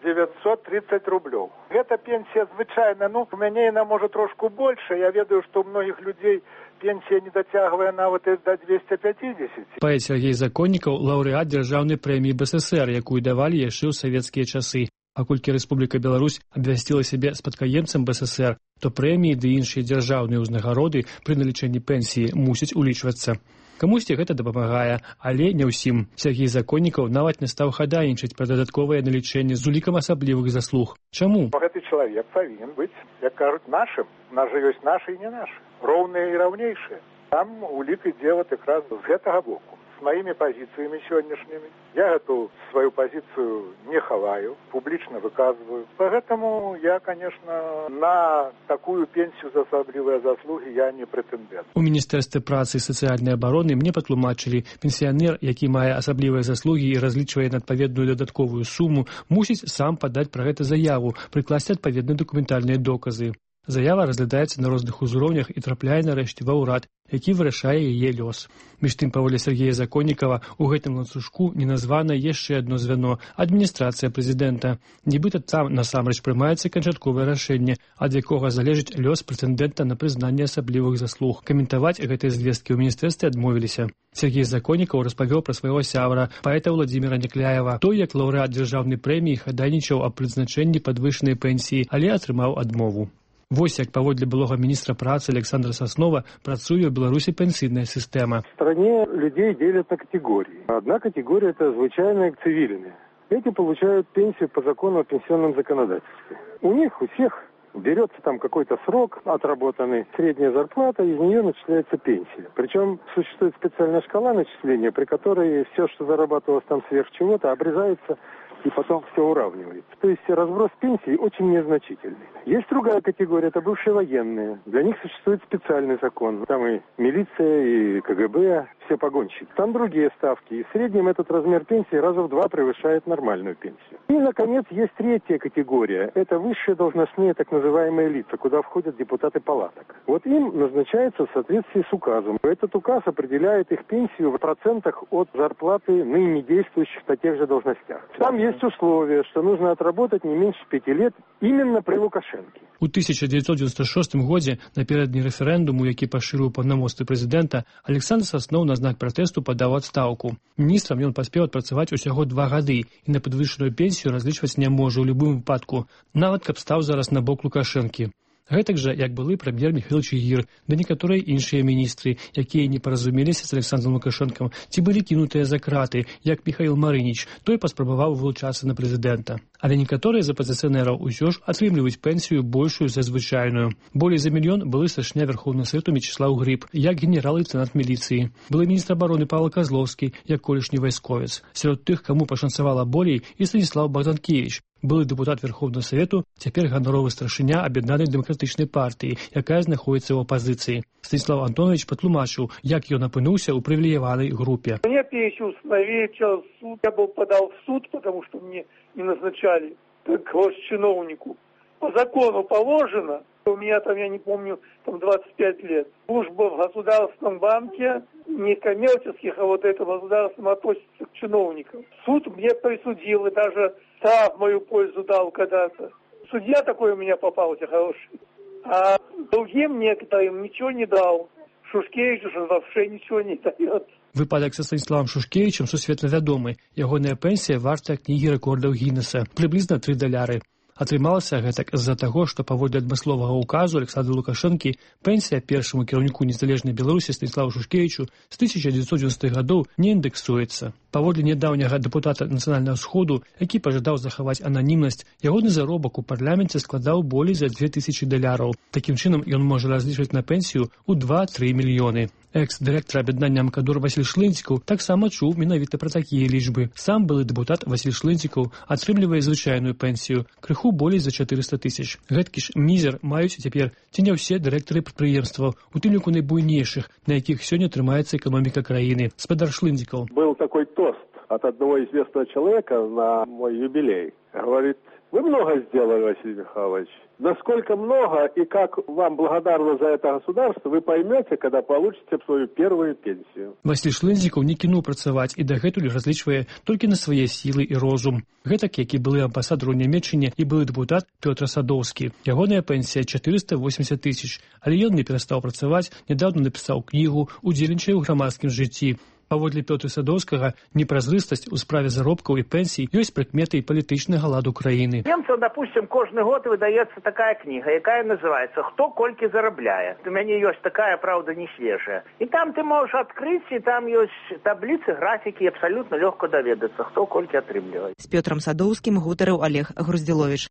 девятьсот тридцать рублёў. Гэта пенсія звычайная, ну, у мяне яна можа трошку больше, я ведаю, што ў многіх людзей пенсія не дацягвае нават і да двухсот пятидесяти. Паэт Сергей Законнікаў – лаўрэат дзяржаўнай прэміі БССР, якую давалі яшчэ ў савецкія часы. А колькі Рэспубліка Беларусь абвясціла сябе спадкаемцам БССР, то прэміі ды іншыя дзяржаўныя ўзнагароды пры налічэнні пенсіі мусяць улічвацца. Камусьці гэта дапамагае, але не ўсім. Сергей Законнікаў нават не стаў хадайнічаць пра дадатковае налічэнне з улікам асаблівых заслуг. Чаму? Гэты чалавек павінен быць, як кажуць, нашым. У нас жа ёсць нашы і не нашы. Роўныя і раўнейшыя. Там улік ідзе вот якраз з гэтага боку. С моими позициями сегодняшними. Я эту свою позицию не хаваю, публично выказываю. Поэтому я, конечно, на такую пенсию за особливые заслуги я не претендент. У Міністэрстве працы і сацыяльнай абароны мне патлумачылі, пенсіянер, які мае асаблівыя заслугі і разлічвае на адпаведную дадатковую суму, мусіць сам падаць пра гэта заяву, прыкласці адпаведныя дакументальныя доказы. Заява разглядаецца на розных узроўнях і трапляе нарэшце ва ўрад, які вырашае яе лёс. Між тым, па волі Сергея Законнікава, у гэтым ланцужку не названа яшчэ адно звяно – адміністрацыя прэзідэнта. Нібыта там насамрэч прымаецца канчатковае рашэнне, ад якога залежыць лёс прэтэндэнта на прызнанне асаблівых заслуг. Каментаваць гэтыя звесткі ў міністэрстве адмовіліся. Сергей Законнікаў распавёў пра свайго сябра, паэта Владзіміра Някляева. Той, як лаўрэат дзяржаўнай прэміі, хадайнічаў аб прызначэнні падвышанай пенсіі, але атрымаў адмову. Вось як паводле былога министра працы Александра Соснова працуе в Беларуси пенсийная система. В стране людей делят на категории. Одна категория – это звычайные цивильные. Эти получают пенсию по закону о пенсионном законодательстве. У них, у всех берется там какой-то срок отработанный, средняя зарплата, из нее начисляется пенсия. Причем существует специальная шкала начисления, при которой все, что зарабатывалось там сверх чего-то, обрезается и потом все уравнивается. То есть разброс пенсий очень незначительный. Есть другая категория, это бывшие военные. Для них существует специальный закон. Там и милиция, и КГБ, все погонщики. Там другие ставки. И в среднем этот размер пенсии раза в два превышает нормальную пенсию. И, наконец, есть третья категория. Это высшие должностные так называемые лица, куда входят депутаты палаток. Вот им назначается в соответствии с указом. Этот указ определяет их пенсию в процентах от зарплаты ныне действующих на тех же должностях. Там есть условие, что нужно отработать не меньше пяти лет именно при Лукашенке. У тысяча девятьсот девяносто шестом годзе напярэдадні рэферэндуму, які пашырыў паўнамоцтвы прэзідэнта, Александр Соснов на знак пратэсту падаў адстаўку. Міністрам ён паспеў адпрацаваць усяго два гады і на падвышаную пенсію разлічваць не можа ў любым выпадку, нават каб стаў зараз на бок Лукашэнкі. Гэтак жа, як былы прэм'ер Міхаіл Чыгір, да некаторыя іншыя міністры, якія не паразумеліся з Александром Лукашэнкам, ці былі кінутыя за краты, як Міхаіл Марыніч, той паспрабаваў вылучацца на прэзідэнта. Але некаторыя з апазіцыянераў усё ж атрымліваюць пенсію большую за звычайную. Болей за мільён былы старшыня Верховнага Савету Мечыслаў Грыб, як генерал-лейтэнант міліцыі. Былы міністр абароны Павел Козловскі, як колішні вайсковец. Сярод тых, каму пашанцавала болей, і Станіслав Богданкевич, былы дэпутат Верховнага Савету, цяпер ганаровы старшыня Аб'яднанай дэмакратычнай партыі, якая знаходзіцца ў апазіцыі. Станіслав Антонович патлумачыў, як ён апынуўся ў прывілеяванай групе. Мне пенсию установили через суд. Я был подал в суд, потому что мне не назначали как чиновнику. По закону положено. У меня там, я не помню, там двадцать пять лет. Служба в Государственном банке, не коммерческих, а вот это государственном относится к чиновникам. Суд мне присудил и даже штраф в мою пользу дал когда-то. Судья такой у меня попался хороший. А другим некоторым ничего не дал. Шушкевичу же вообще ничего не дает. Выпадак са Станіславам Шушкевічам сусветна вядомы. Ягоная пенсія варта кнігі рэкордаў Гіннеса, прыблізна тры даляры. Атрымалася гэтак з-за таго, што паводле адмысловага ўказу Александра Лукашэнкі пенсія першаму кіраўніку незалежнай Беларусі Станіславу Шушкевічу з тысяча девятьсот девяностых гадоў не індэксуецца. Паводле нядаўняга дэпутата Нацыянальнага сходу, які пажадаў захаваць ананімнасць, ягоны заробак у парламенце складаў болей за две тысячы даляраў. Такім чынам ён можа разлічваць на пенсію ў два-тры мільёны. Экс-дырэктар аб'яднання Мкадор Васіль Шлынцікаў таксама чуў менавіта пра такія лічбы. Сам былы дэпутат Васіль Шлынцікаў атрымлівае звычайную пенсію, крыху болей за чатырыста тысяч. Гэткі ж мізер маюць цяпер ці не ўсе дырэктары прадпрыемстваў, у тым ліку найбуйнейшых, на якіх сёння трымаецца эканоміка краіны. Спадар Шлынцікаў. Был такой тост от одного известного человека на мой юбилей. Говорит: вы много сделали, Василий Михайлович. Насколько много и как вам благодарно за это государство, вы поймете, когда получите свою первую пенсию. Васіль Шлынцікаў не кінуў працаваць і дагэтуль разлічвае толькі на свае сілы і розум. Гэтак, як і былы амбасадар у Нямецчыне і былы дэпутат Пётр Садоўскі. Ягоная пенсія чатырыста восемьдесят тысяч, але ён не перастаў працаваць, нядаўна напісаў кнігу, удзельнічае ў грамадскім жыцці. Паводле Пётра Садоўскага, непразрыстасць у справе заробкаў і пенсій ёсць прыкметай палітычнага ладу краіны. Немцам, допустим, кожны год выдаецца такая кніга, якая называецца «Хто колькі зарабляе». У мяне ёсць такая, правда, не свежая. І там ты можаш адкрыць, і там ёсць табліцы, графікі, абсалютна лёгка даведацца, хто колькі атрымлівае. З Пётрам Садоўскім гутарыў Олег Груздзіловіч.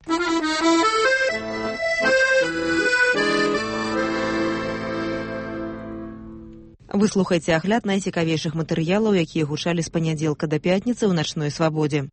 Вы слухаеце агляд найцікавейшых матэрыялаў, якія гучалі з панядзелка да пятніцы ў начной свабодзе.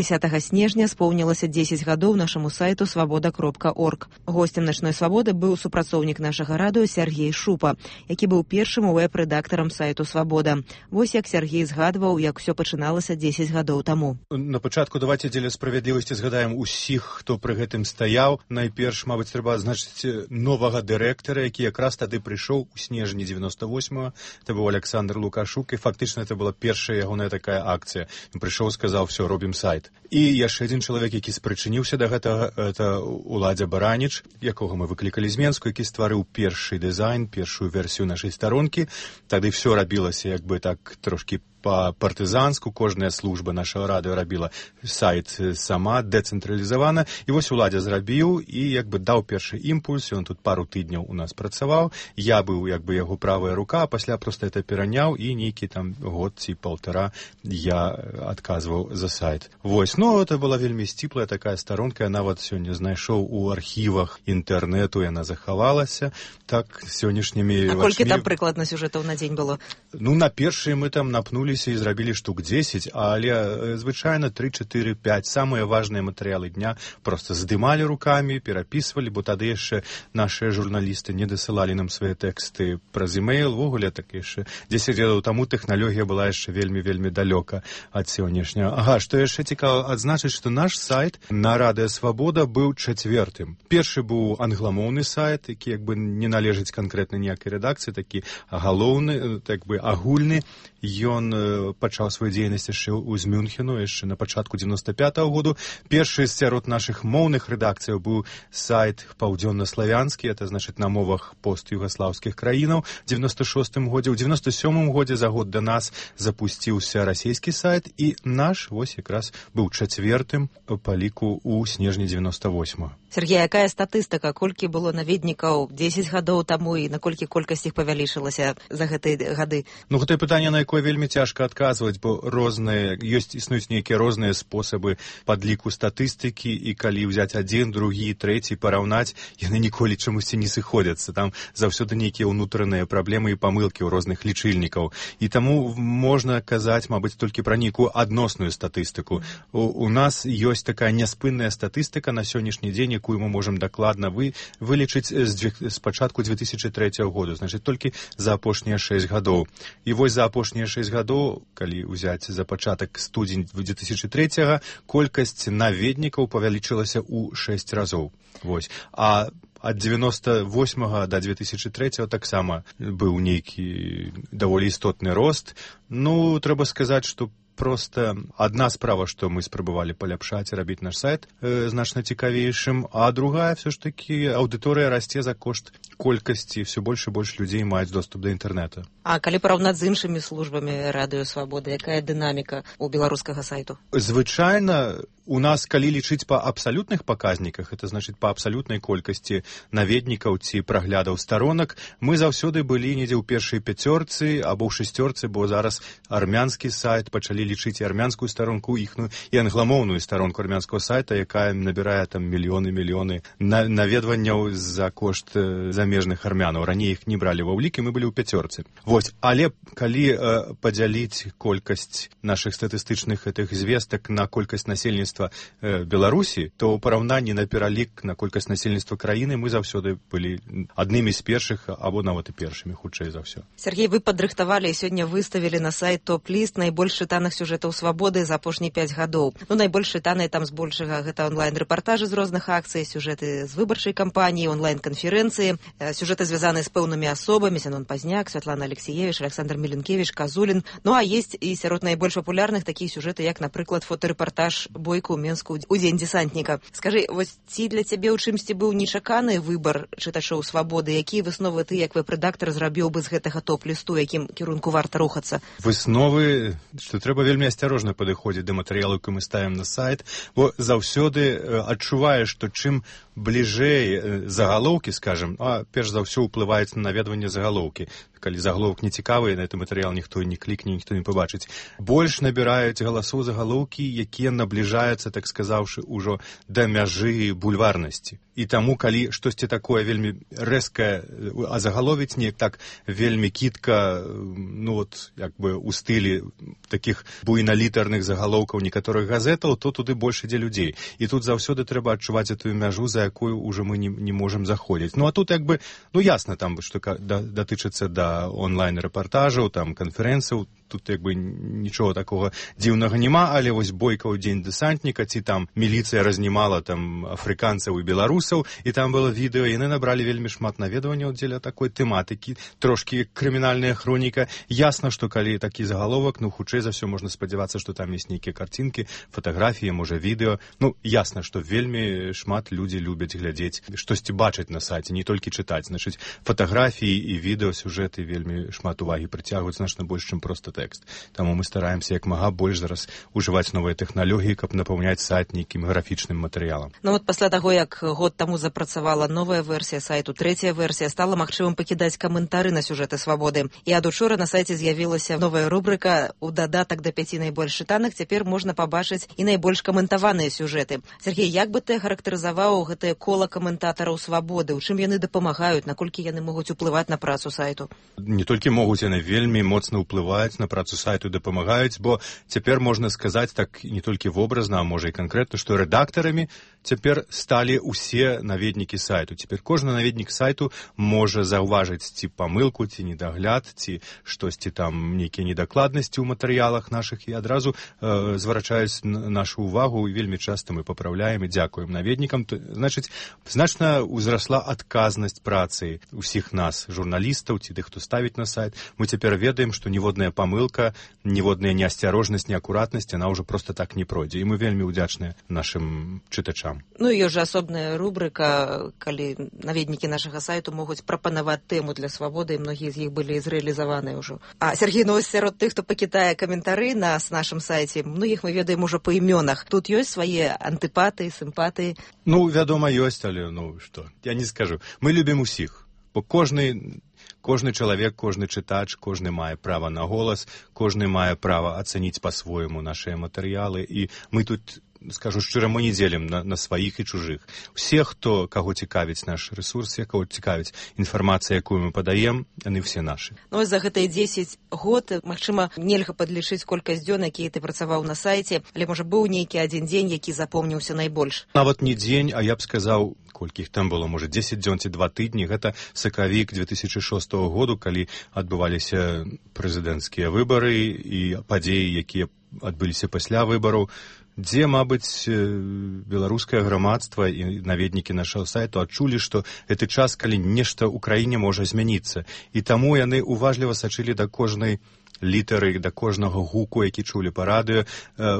дзесятага снежня споўнілася дзесяць гадоў нашаму сайту свабода кропка орг. Госцем начной свабоды быў супрацоўнік нашага радыё Сергей Шупа, які быў першым вэб-рэдактарам сайту Свабода. Вось як Сергей згадваў, як усё пачыналася дзесяць гадоў таму. На пачатку давайте дзеля справядлівасці згадаем усіх, хто пры гэтым стаяў. Найперш, мабыць, трэба адзначыць новага дырэктара, які якраз тады прыйшоў у снежні дзевяноста восьмага. Это быў Александр Лукашук, і фактычна это была першая ягоная такая акцыя. Ён прыйшоў, сказаў: «Всё, робім сайт». І яшчэ адзін чалавек, які спрычыніўся да гэтага, это Уладзя Бараніч, якога мы выклікалі з Менску, які стварыў першы дызайн, першую версію нашай старонкі. Тады ўсё рабілася як бы так трошкі па-партызанску, кожная служба нашага радыё рабіла сайт сама, дэцэнтралізавана. І вось Уладзя зрабіў і як бы даў першы імпульс, ён тут пару тыдняў у нас працаваў. Я быў як бы яго правая рука, а пасля проста это пераняў, і нейкі там год ці паўтара я адказваў за сайт. Вось, ну, это была вельмі сціплая такая старонка, я нават сёння знайшоў у архівах інтэрнэту, яна захавалася. Так, сённяшнімі... А колькі там прыкладна сюжэтаў на дзень было? Ну, на першыя мы там напнулі і зрабілі штук дзесяць, але звычайна тры, чатыры, пяць самыя важныя матэрыялы дня проста здымалі рукамі, перапісвалі, бо тады яшчэ нашыя журналісты не дасылалі нам свае тэксты праз імейл. Ввогуле, так яшчэ дзесяць гадоў таму тэхналогія была яшчэ вельмі-вельмі далёка ад сённяшняга. Ага, што яшчэ цікава адзначыць, што наш сайт на радыё Свабода быў чацвёртым. Першы быў англамоўны сайт, які як бы не належыць канкрэтна ніякай рэдакцыі, такі галоўны, так бы агульны. Ён э, пачаў сваю дзейнасць яшчэ ў з Мюнхену, яшчэ на пачатку девяносто пятого году. Першы сярод нашых моўных рэдакцыяў быў сайт паўдзённаславянскі, это значыць на мовах пост-югаслаўскіх краінаў. В девяносто шостым годзе, ў девяносто сёмым годзе за год да нас запусціўся расійскі сайт, і наш вось якраз быў чацвертым па ліку ў снежні девяносто восьмого. Сергей, якая статыстыка, колькі было наведнікаў дзесяць гадоў таму і наколькі колькасць іх павялічылася за гэтыя гады? Ну, гэтае пытанне, на якое вельмі цяжка адказваць, бо розныя, ёсць, існуюць нейкія розныя спосабы падліку статыстыкі, і калі ўзяць адзін, другі, трэці, параўнаць, яны ніколі чамусьці не сыходзяцца. Там заўсёды нейкія ўнутраныя праблемы і памылкі ў розных лічыльнікаў. І таму можна казаць, мабыць, толькі пра нейкую адносную статыстыку. У, у нас ёсць такая няспынная статыстыка на сённяшні дзень, якую мы можам дакладна вы, вылічыць з, з пачатку две тысячи третьего году, значыць, толькі за апошнія шэсць гадоў. І вось за апошнія шэсць гадоў, калі ўзяць за пачатак студзень две тысячи третьего, колькасць наведнікаў павялічылася ў шэсць разоў. Вось. А ад девяносто восьмого до две тысячи третьего таксама быў нейкі даволі істотны рост. Ну, трэба сказаць, што просто одна справа, што мы спрабавалі паляпшаць і рабіць наш сайт э, значна цікавейшым, а другая все ж таки аўдыторыя расце за кошт колькасці, все больш і больш людзей маюць доступ да інтэрнэта. А калі параўнаць з іншымі службамі Радыё Свабода, якая дынаміка у беларускага сайту? Звычайна у нас, калі лічыць па абсалютных паказніках, это значыць па абсалютнай колькасці наведнікаў ці праглядаў старонак, мы заўсёды былі недзе ў першай пяцёрцы або ў шасцёрцы, бо зараз армянскі сайт, пачалі лічыць і армянскую старонку іхную, і англамоўную старонку армянскага сайта, якая набірае там мільёны мільёны на, наведванняў за кошт э, замежных армянаў. Раней іх не бралі ва ўлік, і мы былі ў пяцёрцы. Вось, але калі э, падзяліць колькасць нашых статыстычных гэтых звестак на колькасць насельніцтва Беларусі, то ў параўнанні на пералік на колькасць насельніцтва краіны мы заўсёды былі аднымі з першых або нават і першымі, хутчэй за ўсё. Сергей, вы падрыхтавалі і сёння выставілі на сайт топ-ліст найбольш чытаных сюжэтаў Свабоды за апошнія пяць гадоў. Ну, найбольш чытаныя там збольшага гэта онлайн-рэпартажы з розных акцый, сюжэты з выбарчай кампаніі, онлайн-канферэнцыі, сюжэты звязаныя з пэўнымі асобамі, Зянон Пазняк, Святлана Алексеевич, Александр Меленкевич, Казулін. Ну, а есть і сярод найбольш папулярных такія сюжэты, як, напрыклад, фотарэпартаж бойку у Менску у дзень дзесантніка. Скажы, вось ці для цябе ў чымсьці быў нечаканы выбар чытачоў Свабоды? Якія высновы ты, як веб-рэдактар, зрабіў бы з гэтага топ-лісту, якім кірунку варта рухацца? Высновы, што трэба вельмі асцярожна падыходзіць да матэрыялу, які мы ставім на сайт, бо заўсёды адчуваеш, што чым бліжэй загалоўкі, скажем, а перш за ўсё ўплываюць на наведванне загалоўкі. Калі загаловак не цікавы, на гэты матэрыял ніхто не клікне, ніхто не пабачыць. Больш набіраюць галасоў загалоўкі, якія набліжаюцца, так сказаўшы, ужо да мяжы бульварнасці. І таму, калі штосьці такое вельмі рэзкае азагаловіць, неяк так вельмі кітка, ну вот, як бы у стылі такіх буйналітарных загалоўкаў некаторых газетаў, то туды больш ідзе людзей. І тут заўсёды трэба адчуваць гэтую мяжу, за якую ўжо мы не, не можам заходзіць. Ну а тут як бы, ну ясна там, што да, датычыцца да онлайн-рэпартажаў, там канферэнцыяў, тут як бы нічого такого дзіўнага няма, але вось бойка ў дзень дэсантніка, ці там міліцыя разнімала там афрыканцаў і беларусаў, і там было відэо, яны набралі вельмі шмат наведванняў дзеля такой тэматыкі, трошкі крымінальная хроніка. Ясна, што калі такі загаловак, ну хутчэй за ўсё можна спадзявацца, што там ёсць нейкія карцінкі, фатаграфіі, можа відэо. Ну ясна, што вельмі шмат людзі любяць глядзець, штосьці бачыць на сайце, не толькі чытаць. Значыць, фатаграфіі і відэо, сюжэты вельмі шмат увагі прыцягваюць значна больш, чым проста тэкст. Таму мы стараемся як мага больш зараз ужываць новыя тэхналогіі, каб напаўняць сайт нейкім графічным матэрыялам. Ну вот пасля таго, як год таму запрацавала новая версія сайту, трэцяя версія, стала магчымым пакідаць каментары на сюжэты Свабоды. І ад учора на сайце з'явілася новая рубрыка у дадатак да пяці найбольш чытаных. Цяпер можна пабачыць і найбольш каментаваныя сюжэты. Сергей, як бы ты характарызаваў гэтае кола каментатараў Свабоды? У чым яны дапамагаюць? Наколькі яны могуць уплываць на працу сайту? Не толькі могуць, яны вельмі моцна ўплываюць на працу сайту, дапамагаюць, бо цяпер можна сказаць так не толькі вобразна, а можа і канкрэтна, што рэдактарамі цяпер сталі ўсе наведнікі сайту. Цяпер кожны наведнік сайту можа заўважыць ці памылку, ці недагляд, ці штосьці там, нейкія недакладнасці ў матэрыялах нашых, і адразу э, зварачаюць нашу ўвагу, і вельмі часта мы папраўляем і дзякуем наведнікам. Значыць, значна ўзрасла адказнасць працы ўсіх нас, журналістаў, ці тых, хто ставіць на сайт. Мы цяпер ведаем, што ніводная памылка, ніводная неасцярожнасць, неакуратнасць, яна ўжо проста так не пройдзе. І мы вельмі ўдзячныя нашым чытачам. Ну і ёсць жа асобная рубрыка, калі наведнікі нашага сайту могуць прапанаваць тэму для свабоды, і многія з іх былі зрэалізаваныя ўжо. А Сергей, ну сярод тых, хто пакідае каментары на нашым сайце, многіх мы ведаем ужо па імёнах. Тут ёсць свае антыпатыі, сімпатыі? Ну, вядома, ёсць, але ну што, я не скажу. Мы любім усіх, бо кожны Кожны чалавек, кожны чытач, кожны мае права на голас, кожны мае права ацаніць па-свойму нашыя матэрыялы, і мы тут, скажу шчыра, мы не дзелім на, на сваіх і чужых. Усе, хто, каго цікавіць наш рэсурс, каго цікавіць інфармацыя, якую мы падаем, яны все нашы. Ну, за гэтыя дзесяць год, магчыма, нельга падлічыць колькасць дзён, якія ты працаваў на сайце, але, можа, быў нейкі адзін дзень, які запомніўся найбольш? Нават не дзень, а я б сказаў, колькі іх там было, можа, дзесяць дзён ці два тыдні. Гэта сакавік две тысячы шостага году, калі адбываліся прэзідэнцкія выбары і падзеі, якія адбыліся пасля выбараў, дзе, мабыць, беларускае грамадства і наведнікі нашага сайту адчулі, што гэты час, калі нешта ў краіне можа змяніцца. І таму яны уважліва сачылі да кожнай літары, да кожнага гуку, які чулі па радыё,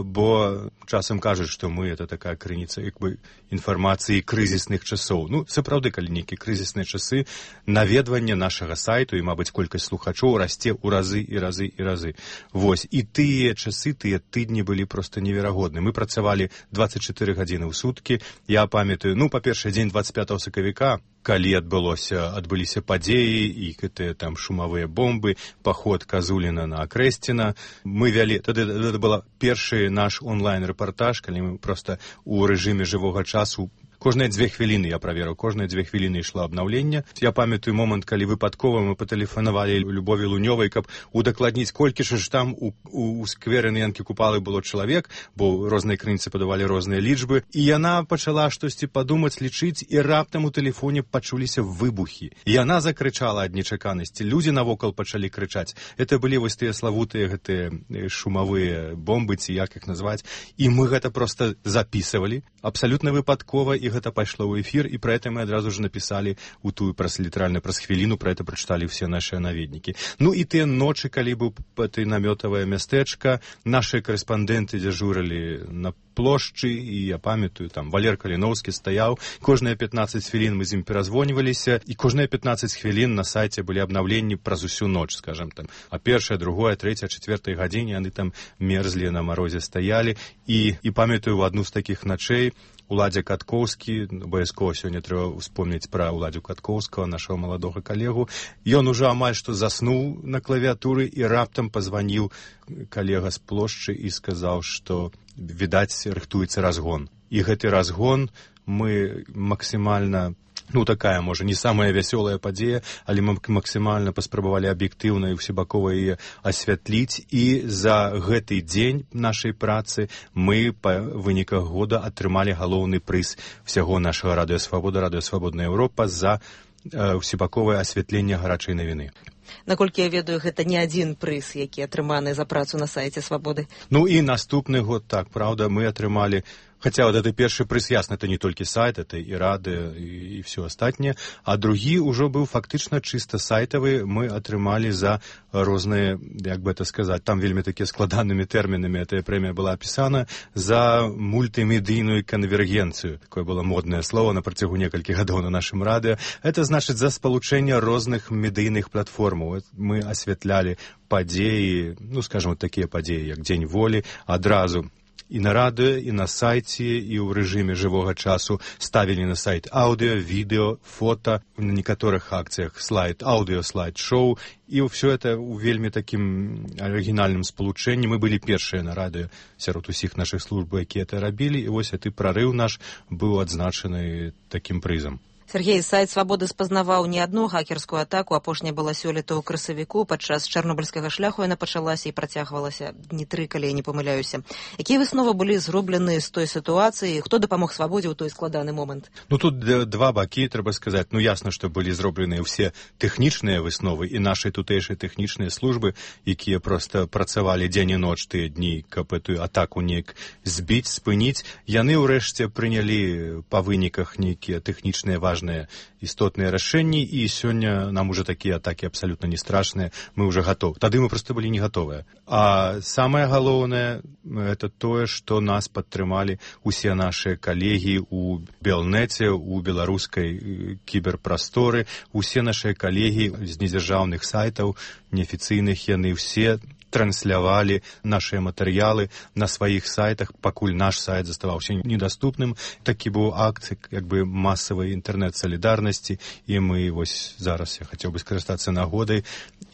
бо часам кажуць, што мы это такая крыніца як бы інфармацыі крызісных часоў. Ну, сапраўды, калі нейкія крызісныя часы, наведванне нашага сайту і, мабыць, колькасць слухачоў расце ў разы і разы і разы. Вось, і тыя часы, тыя тыдні былі проста неверагодны. Мы працавалі дваццаць чатыры гадзіны ў суткі. Я памятаю, ну, па-першае, дзень дваццаць пятага сакавіка, калі адбылося, адбыліся падзеі і гэтыя там шумавыя бомбы, паход Казуліна на Акрэсціна. Мы вялі, тады гэта была першы наш онлайн-рэпартаж, калі мы проста ў рэжыме жывога часу кожныя дзве хвіліны я праверыў, кожныя дзве хвіліны ішло абнаўленне. Я памятаю момант, калі выпадкова мы патэлефанавалі Любові Лунёвай, каб удакладніць, колькі ж там у, у, у скверы на Янкі Купалы было чалавек, бо розныя крыніцы падавалі розныя лічбы. І яна пачала штосьці падумаць, лічыць, і раптам у тэлефоне пачуліся выбухі. І яна закрычала ад нечаканасці. Людзі навокал пачалі крычаць. Это былі вось тыя славутыя гэтыя шумавыя бомбы, ці як іх назваць. І мы гэта проста запісывалі абсалютна выпадкова, і гэта пайшло ў эфір, і пра гэта мы адразу ж напісалі у тую праз літаральна праз хвіліну, пра гэта прачыталі ўсе нашыя наведнікі. Ну і тыя ночы, калі быў ты намётавае мястэчка, нашыя карэспандэнты дзяжурылі на плошчы, і я памятаю, там Валер Каліноўскі стаяў, кожныя пятнаццаць хвілін мы з ім перазвоньваліся, і кожныя пятнаццаць хвілін на сайце былі абнаўленні праз усю ноч, скажам там, а першая, другая, трэця, чацвёртай гадзіне яны там мерзлі на марозе стаялі, і, і памятаю, у адну з такіх начэй Уладзя Каткоўскі, абавязкова сёння трэба успомніць пра Уладзю Каткоўскага, нашага маладога калегу. Ён ужо амаль што заснуў на клавіатуры, і раптам пазваніў калега з плошчы і сказаў, што, відаць, рыхтуецца разгон. І гэты разгон мы максімальна, ну, такая, можа, не самая вясёлая падзея, але мы максімальна паспрабавалі аб'ектыўна і ўсебакова яе асвятліць, і за гэты дзень нашай працы мы па выніках года атрымалі галоўны прыз усяго нашага радыё Свабода, радыё Свабодная Еўропа за э, усебаковае асвятленне гарачай навіны. Наколькі я ведаю, гэта не адзін прыз, які атрыманы за працу на сайце Свабоды. Ну і наступны год, так, праўда, мы атрымалі, хаця вот это першы прыз, ясна, это не толькі сайт, это і радыё, і, і все астатняе, а другі ўжо быў фактычна чыста сайтавы, мы атрымалі за розныя, як бы это сказаць, там вельмі такія складанымі тэрмінамі эта прэмія была апісана, за мультымедыйную канвергенцыю. Такое было моднае слово на працягу некалькіх гадоў на нашым радыё. Это значыць за спалучэнне розных медыйных платформаў. Мы асвятлялі падзеі, ну, скажем, вот такія падзеі, як Дзень волі, адразу і на радыё, і на сайце, і ў рэжыме жывога часу ставілі на сайт аўдыо, відэо, фота, на некаторых акцыях слайд, аўдыо, слайд-шоу, і ўсё это ў вельмі такім арыгінальным спалучэнні. Мы былі першыя на радыё сярод усіх нашых служб, якія это рабілі, і вось гэты прарыў наш быў адзначаны такім прызам. Сергей, сайт «Свабоды» спазнаваў не адну хакерскую атаку. Апошняя была сёлета ў красавіку. Падчас чарнобыльскага шляху яна пачалася і працягвалася дні тры, калі я не памыляюся. Якія высновы былі зроблены з той сітуацыі? Хто дапамог «Свабодзе» ў той складаны момант? Ну, тут два бакі, трэба сказаць. Ну, ясна, што былі зробленыя ўсе тэхнічныя высновы і нашай тутэйшай тэхнічныя службы, якія проста працавалі дзень і ноч тыя дні, каб эту атаку неяк збіць, спыніць. Яны ўрэшце прынялі па выніках нейкія тэхнічныя важныя істотныя рашэнні, і сёння нам уже такія атакі абсалютна не страшныя, мы уже гатовы. Тады мы проста былі не гатовыя. А самае галоўнае это тое, што нас падтрымалі усе нашыя калегі ў Белнеце, у беларускай кіберпрасторы, усе нашыя калегі з недзяржаўных сайтаў, неафіцыйных, яны ўсе транслявалі нашыя матэрыялы на сваіх сайтах, пакуль наш сайт заставаўся недаступным. Такі быў акт як бы масавай інтэрнэт-салідарнасці, і мы вось зараз я хацеў бы скарыстацца нагодай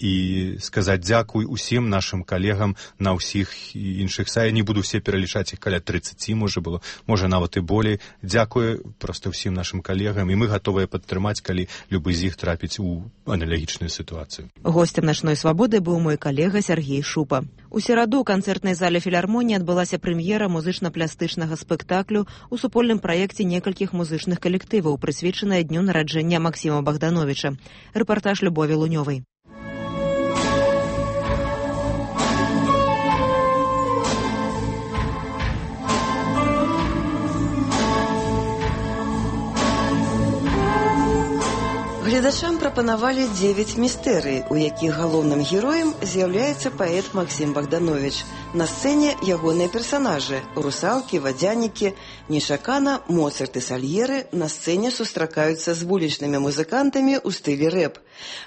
і сказаць дзякуй усім нашым калегам на ўсіх іншых сайтах. Не буду все пералічаць, іх каля трыццаці можа было, можа нават і болей. Дзякуй проста ўсім нашым калегам, і мы гатовыя падтрымаць, калі любы з іх трапіць у аналагічную сітуацыю. Гостем «Начной свабоды» быў мой калега Сергей Шупа. У сераду ў канцэртнай зале філармоніі адбылася прэм'ера музычна-плястычнага спектаклю у супольным праекце некалькіх музычных калектываў, прысвечаная дню нараджэння Максіма Богдановича. Рэпартаж Любові Лунёвай. Гледачам прапанавалі дзевяць містэрый, у якіх галоўным героем з'яўляецца паэт Максім Богданович. На сцэне ягоныя персанажы – русалкі, вадзянікі. Нечакана Моцарт і Сальеры на сцэне сустракаюцца з вулічнымі музыкантамі ў стылі рэп.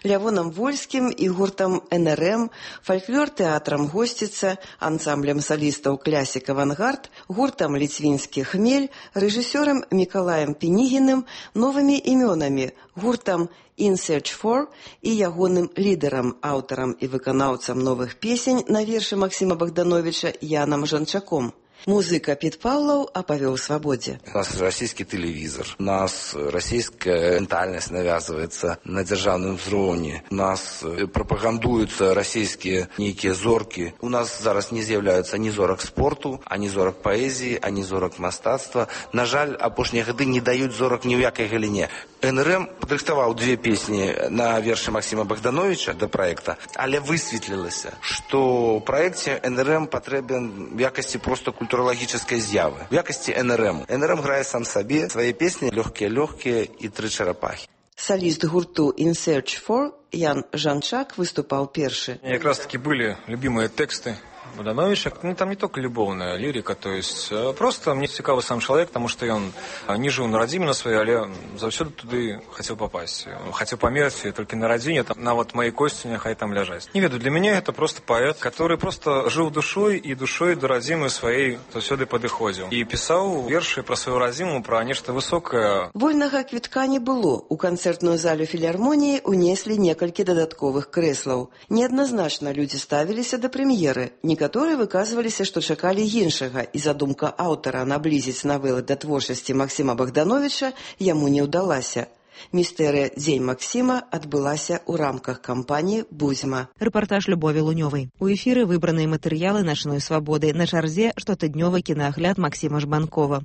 Лявонам Вольскім і гуртам эн эр эм, фальклор-тэатрам «Госціца», ансамблем салістаў «Клясік Авангард», гуртам «Ліцвінскі хмель», рэжысёрам Мікалаем Пінігіным, новымі імёнамі – гуртам «In Search For» і ягоным лідарам, аўтарам і выканаўцам новых песень на вершы Максіма Богдановича Янам Жанчаком. Музыка Пит Павлов оповел «Свободе». У нас российский телевизор, у нас российская ментальность навязывается на державном взроне, у нас пропагандуются российские некие зорки. У нас зараз не з'являються ні зорок спорту, ані зорок поэзии, ані зорок мастацтва. На жаль, апошнія гады не дают зорок ни в якой галине. эн эр эм падрыхтаваў две песни на вершы Максима Богдановича до проекта, але высветлілася, что в проекте эн эр эм потребен в якости просто культурологической з'явы. В якости эн эр эм. эн эр эм грае сам себе свои песни «Легкие-легкие» и «Три черепахи». Солист гурту «In Search For» Ян Жанчак выступал перший. Как раз таки были любимые тексты Богдановича. Ну, там не только любовная лирика, то есть просто мне цікавы сам человек, потому что он не жил на родине на своей, але заўсёды туды хотел попасть. Хотел померці только на родине, там, на вот моей кости нехай там ляжаць. Не веду, для меня это просто поэт, который просто жил душой и душой до родимой своей заўсёды падыходзіў. И писал верши про свою родиму, про нечто высокое. Вольнага квітка не было. У канцэртную залю філармоніі унеслі некалькі дадатковых крэслаў. Неадназначна людзі ставіліся да прэм'еры. Некаторыя выказваліся, што чакалі іншага, і задумка аўтара наблізіць навелы да творчасці Максіма Богдановича яму не ўдалася. Містэрыя «Дзень Максіма» адбылася ў рамках кампаніі «Бузьма». Рэпартаж Любові Лунёвай. У эфіры выбраныя матэрыялы «Начной свабоды». На чарзе штотыднёвы кінаагляд Максіма Жбанкова.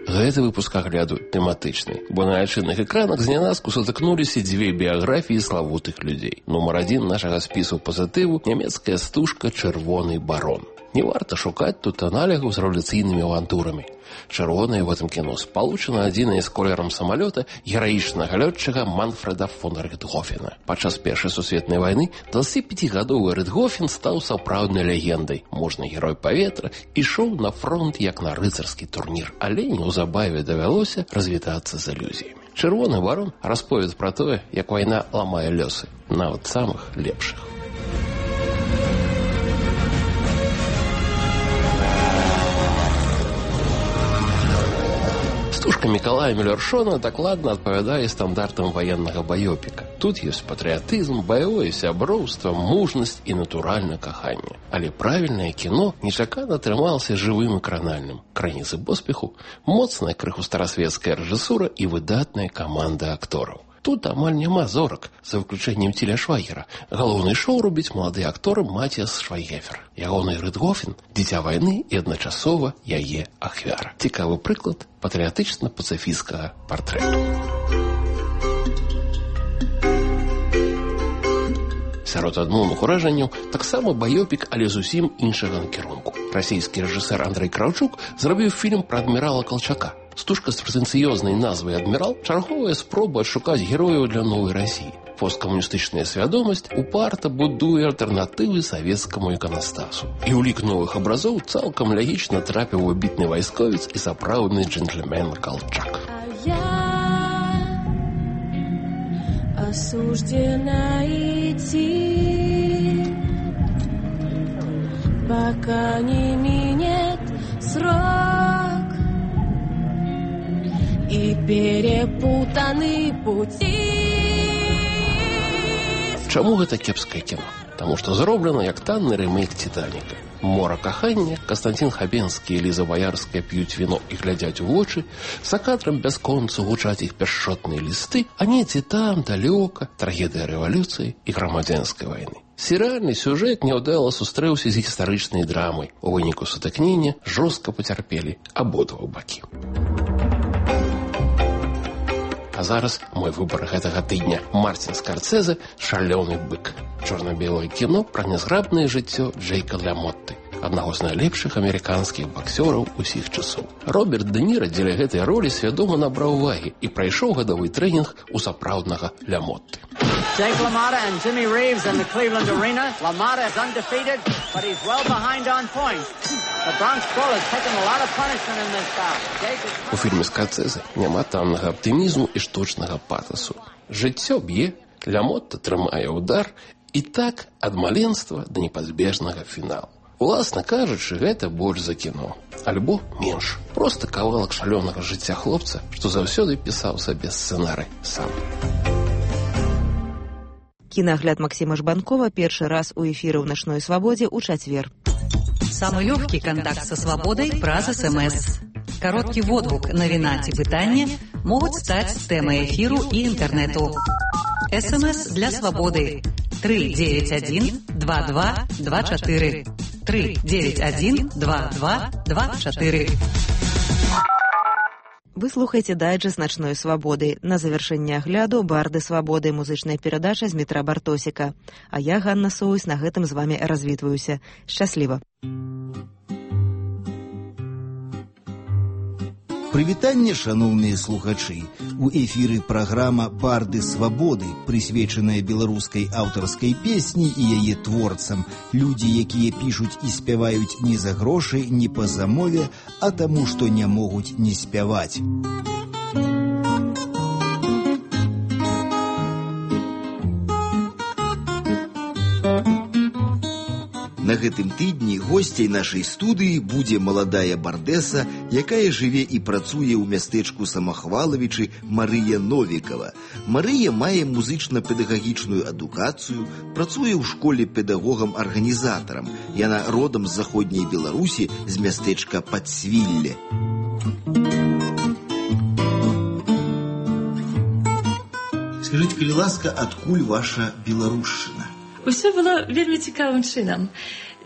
Гэты выпуск агляду тэматычны, бо на айчынных экранах знянацку сутыкнуліся дзве біяграфіі славутых людзей. Нумар адзін нашага спісу пазітыву – нямецкая стужка «Чырвоны барон». Не варта шукаць тут аналігаў з рэвалюцыйнымі авантурамі. Чырвонае в этом кіно спалучана адзінае з колерам самалёта гераічнага лётчыка Манфреда фон Ритгофена. Падчас Першай сусветнай вайны дваццаціпяцігадовы Ритгофен стаў сапраўднай легендай. Можны герой паветра ішоў на фронт як на рыцарскі турнір, але неўзабаве давялося развітацца з ілюзіямі. Чырвоны барон расповед пра тое, як вайна ламае лёсы, нават самых лепшых. Стужка Мікалая Мюллершона дакладна адпавядае стандартам ваеннага баёпіка. Тут ёсць патрыятызм, баявое сяброўства, мужнасць і натуральна каханне. Але правільнае кіно нечакана атрымалася жывым і кранальным. Крыніцы поспеху, моцная крыху старасветская рэжысура і выдатная каманда актораў. Тут амаль няма зорак, за выключэннем Тіля Швайгера. Галоўны шоу робіць малады актор Матіас Швайгефер. Ягоны Рытгофен – дзіця вайны і адначасова яе ахвяра. Цікавы прыклад патрыятычна-пацыфісцкага партрэту. Сярод адмоўных уражанняў таксама баёпік, але зусім іншага накірунку. Расійскі рэжысэр Андрэй Краўчук зрабіў фільм пра адмірала Калчака. Стужка з прэтэнцыёзнай назвай «Адмірал» чарговая спроба адшукаць герояў для новай Расіі. Посткамуністычная свядомасць упарта будуе альтэрнатывы савецкаму іканастасу. І ў лік новых абразоў цалкам лягічна трапіў выбітны вайсковец і сапраўдны джентльмен Калчак. Осуждена идти, пока не минет срок, и перепутаны пути. Чаму гэта кепскае кіно? Таму што зроблена як танны рэмейк «Титаніка». Мора кахання, Кастанцін Хабенскі і Ліза Баярская п'юць віно і глядзяць у вочы, за кадрам бясконца гучаць іх пяшчотныя лісты, а недзе там, далёка, трагедыя рэвалюцыі і грамадзянскай вайны. Серыяльны сюжэт няўдала сустрэўся з гістарычнай драмай. У выніку сутыкнення жорстка пацярпелі абодва бакі. А зараз мой выбар гэтага тыдня. Мартин Скорсезе «Шалёны бык». Чорна-белае кіно пра нязграбнае жыццё Джейка Ламотты, аднаго з найлепшых амерыканскіх баксёраў усіх часоў. Роберт Дэ Ніра дзеля гэтай ролі свядома набраў увагі і прайшоў гадавы трэнінг у сапраўднага Ламотты. Jake LaMotta and Jimmy Reeves in the Cleveland Arena. LaMotta is undefeated, but he's well behind on points. The Bronx Bull has taken a lot of punishment in this bout. Jake is... У фільме Скорсезе няма таннага аптымізму і штучнага патасу. Жыццё б'е, Ламотта трымае ўдар, і так ад маленства да непазбежнага фіналу. Уласна кажучы, гэта больш за кіно. Альбо менш. Проста кавалак шалёнага жыцця хлопца, што заўсёды пісаў сабе сцэнарый сам. Кінагляд Максима Жбанкова першы раз у эфіры ў «Начной свободе» ў чацвер. Самый легкий контакт со свободой праз СМС. Короткий водгук, навіна ці пытанне могуць стаць тэмай эфіру і інтэрнэту. СМС для свободы три девять один два два два четыре три девять один два два два четыре. Вы слухаеце дайджэст «Начной свободы». На завяршэнне агляду «Барды свободы» музычная перадача з метра Бартосіка. А я, Ганна Соус, на гэтым з вами развітваюся. Шчасліва. Прывітанне, шаноўныя слухачы. У эфіры праграма «Барды свободы», прысвечаная беларускай аўтарскай песні і яе творцам. Людзі, якія пішуць і спяваюць не за грошы, не па замове, а таму, што не могуць не спяваць. На гэтым тыдні госцяй нашай студыі будзе маладая бардэса, якая жыве і працуе ў мястэчку Самахвалавічы, Марыя Новікава. Марыя мае музычна-педагагічную адукацыю, працуе ў школе педагогам-арганізатарам. Яна родам з заходняй Беларусі, з мястэчка Падсвілле. Скажыце, калі ласка, адкуль ваша беларушчына? Усё было вельмі цікавым чынам.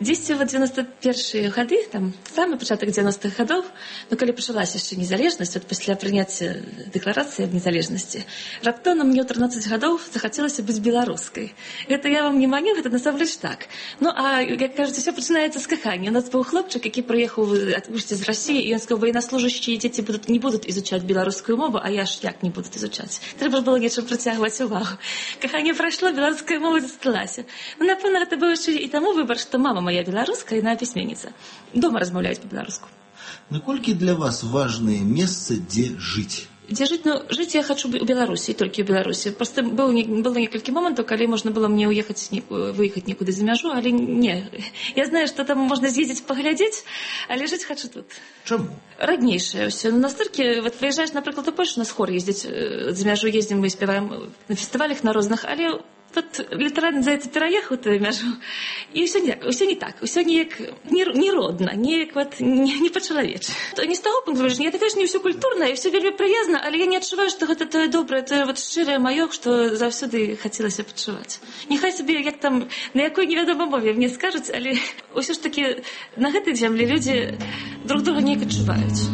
Дзесьці ў дзевяносто першыя гады, там, самы пачатак дзевяностых гадоў, ну, калі пачалася яшчэ незалежнасць, от пасля прыняцця дэкларацыі аб незалежнасці, раптоўна мне ў трынаццаць гадоў захацелася быць беларускай. Гэта я вам не маню, гэта насамрэч так. Ну, а, як кажуць, усё пачынаецца з кахання. У нас быў хлопчык, які прыехаў адпусці з Расіі, і ён сказаў, военнослужащие дзеці будут, не будуць изучаць беларускую мову, а я ж як не будуць изучаць. Трэба было нечым прыцягваць увагу. Каханне прайшло, беларуская мова засталася. Ну, напэўна, гэта быў яшчэ і таму выбар, што мама моя беларуская, яна пісьменніца. Дома размаўляюць па-беларуску. Наколькі для вас важнае месца, дзе жыць? Дзе жыць? Ну, жыць я хачу у Беларусі, толькі ў Беларусі. Проста было, было некалькі момантаў, калі можна было мне уехаць, выехаць некуды за мяжу, але не. Я знаю, што там можна з'ездзіць паглядзець, але жыць хачу тут. Чаму? Раднейшае ўсё. Настолькі, вот прыязджаеш, напрыклад, у Польшу, у нас хор ездзіць за мяжу, ездзім, мы спяваем на фестывалях на розных, але тут літаральна за это пераехаў тую мяжу, і ўсё не, ўсё не так, ўсё неяк неродна, неяк вот не, не па-чалавечы. Не з таго пункту зрення, я такая ж не ўсё культурна, і ўсё вельмі прыязна, але я не адчуваю, што гэта тое добрае, тое вот шчырае маё, што заўсёды хацелася пачуваць. Няхай сабе, як там, на якой невядомай мове мне скажуць, але ўсё ж такі на гэтай зямлі людзі друг друга неяк адчуваюць.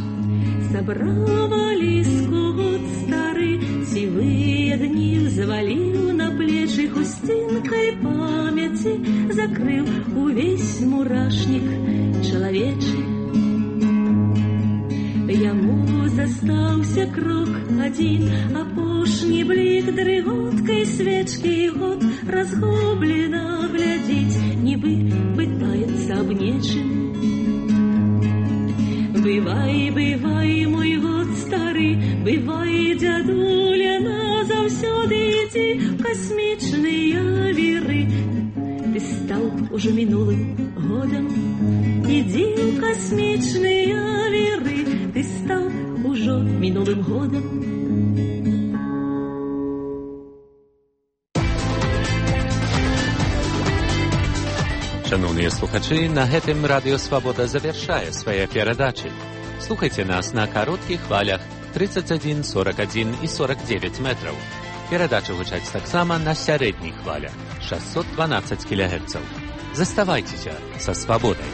Сабравалі скот стары, сівыя дні взваліў на плечы хусцінкай памяці, закрыў увесь мурашнік чалавечы. Яму застаўся крок адзін, апошні блік дрыготкай свечкі, год разгублена глядзіць, нібы пытаецца аб нечым. Бывай, бывай, мой год стары, бывай, дзядуля, назаўсёды ідзі ў касмічныя віры. Ты стаў ужо мінулым годам, ідзі ў касмічныя віры. Ты стаў ужо мінулым годам. Шановныя слухачы, на гэтым Радыё Свабода завяршае свае перадачы. Слухайце нас на кароткіх хвалях тридцать один, сорок один і сорок девять метраў. Перадачы гучаць таксама на сярэдніх хвалях шестьсот двенадцать кілогерцаў. Заставайцеся са Свабодай.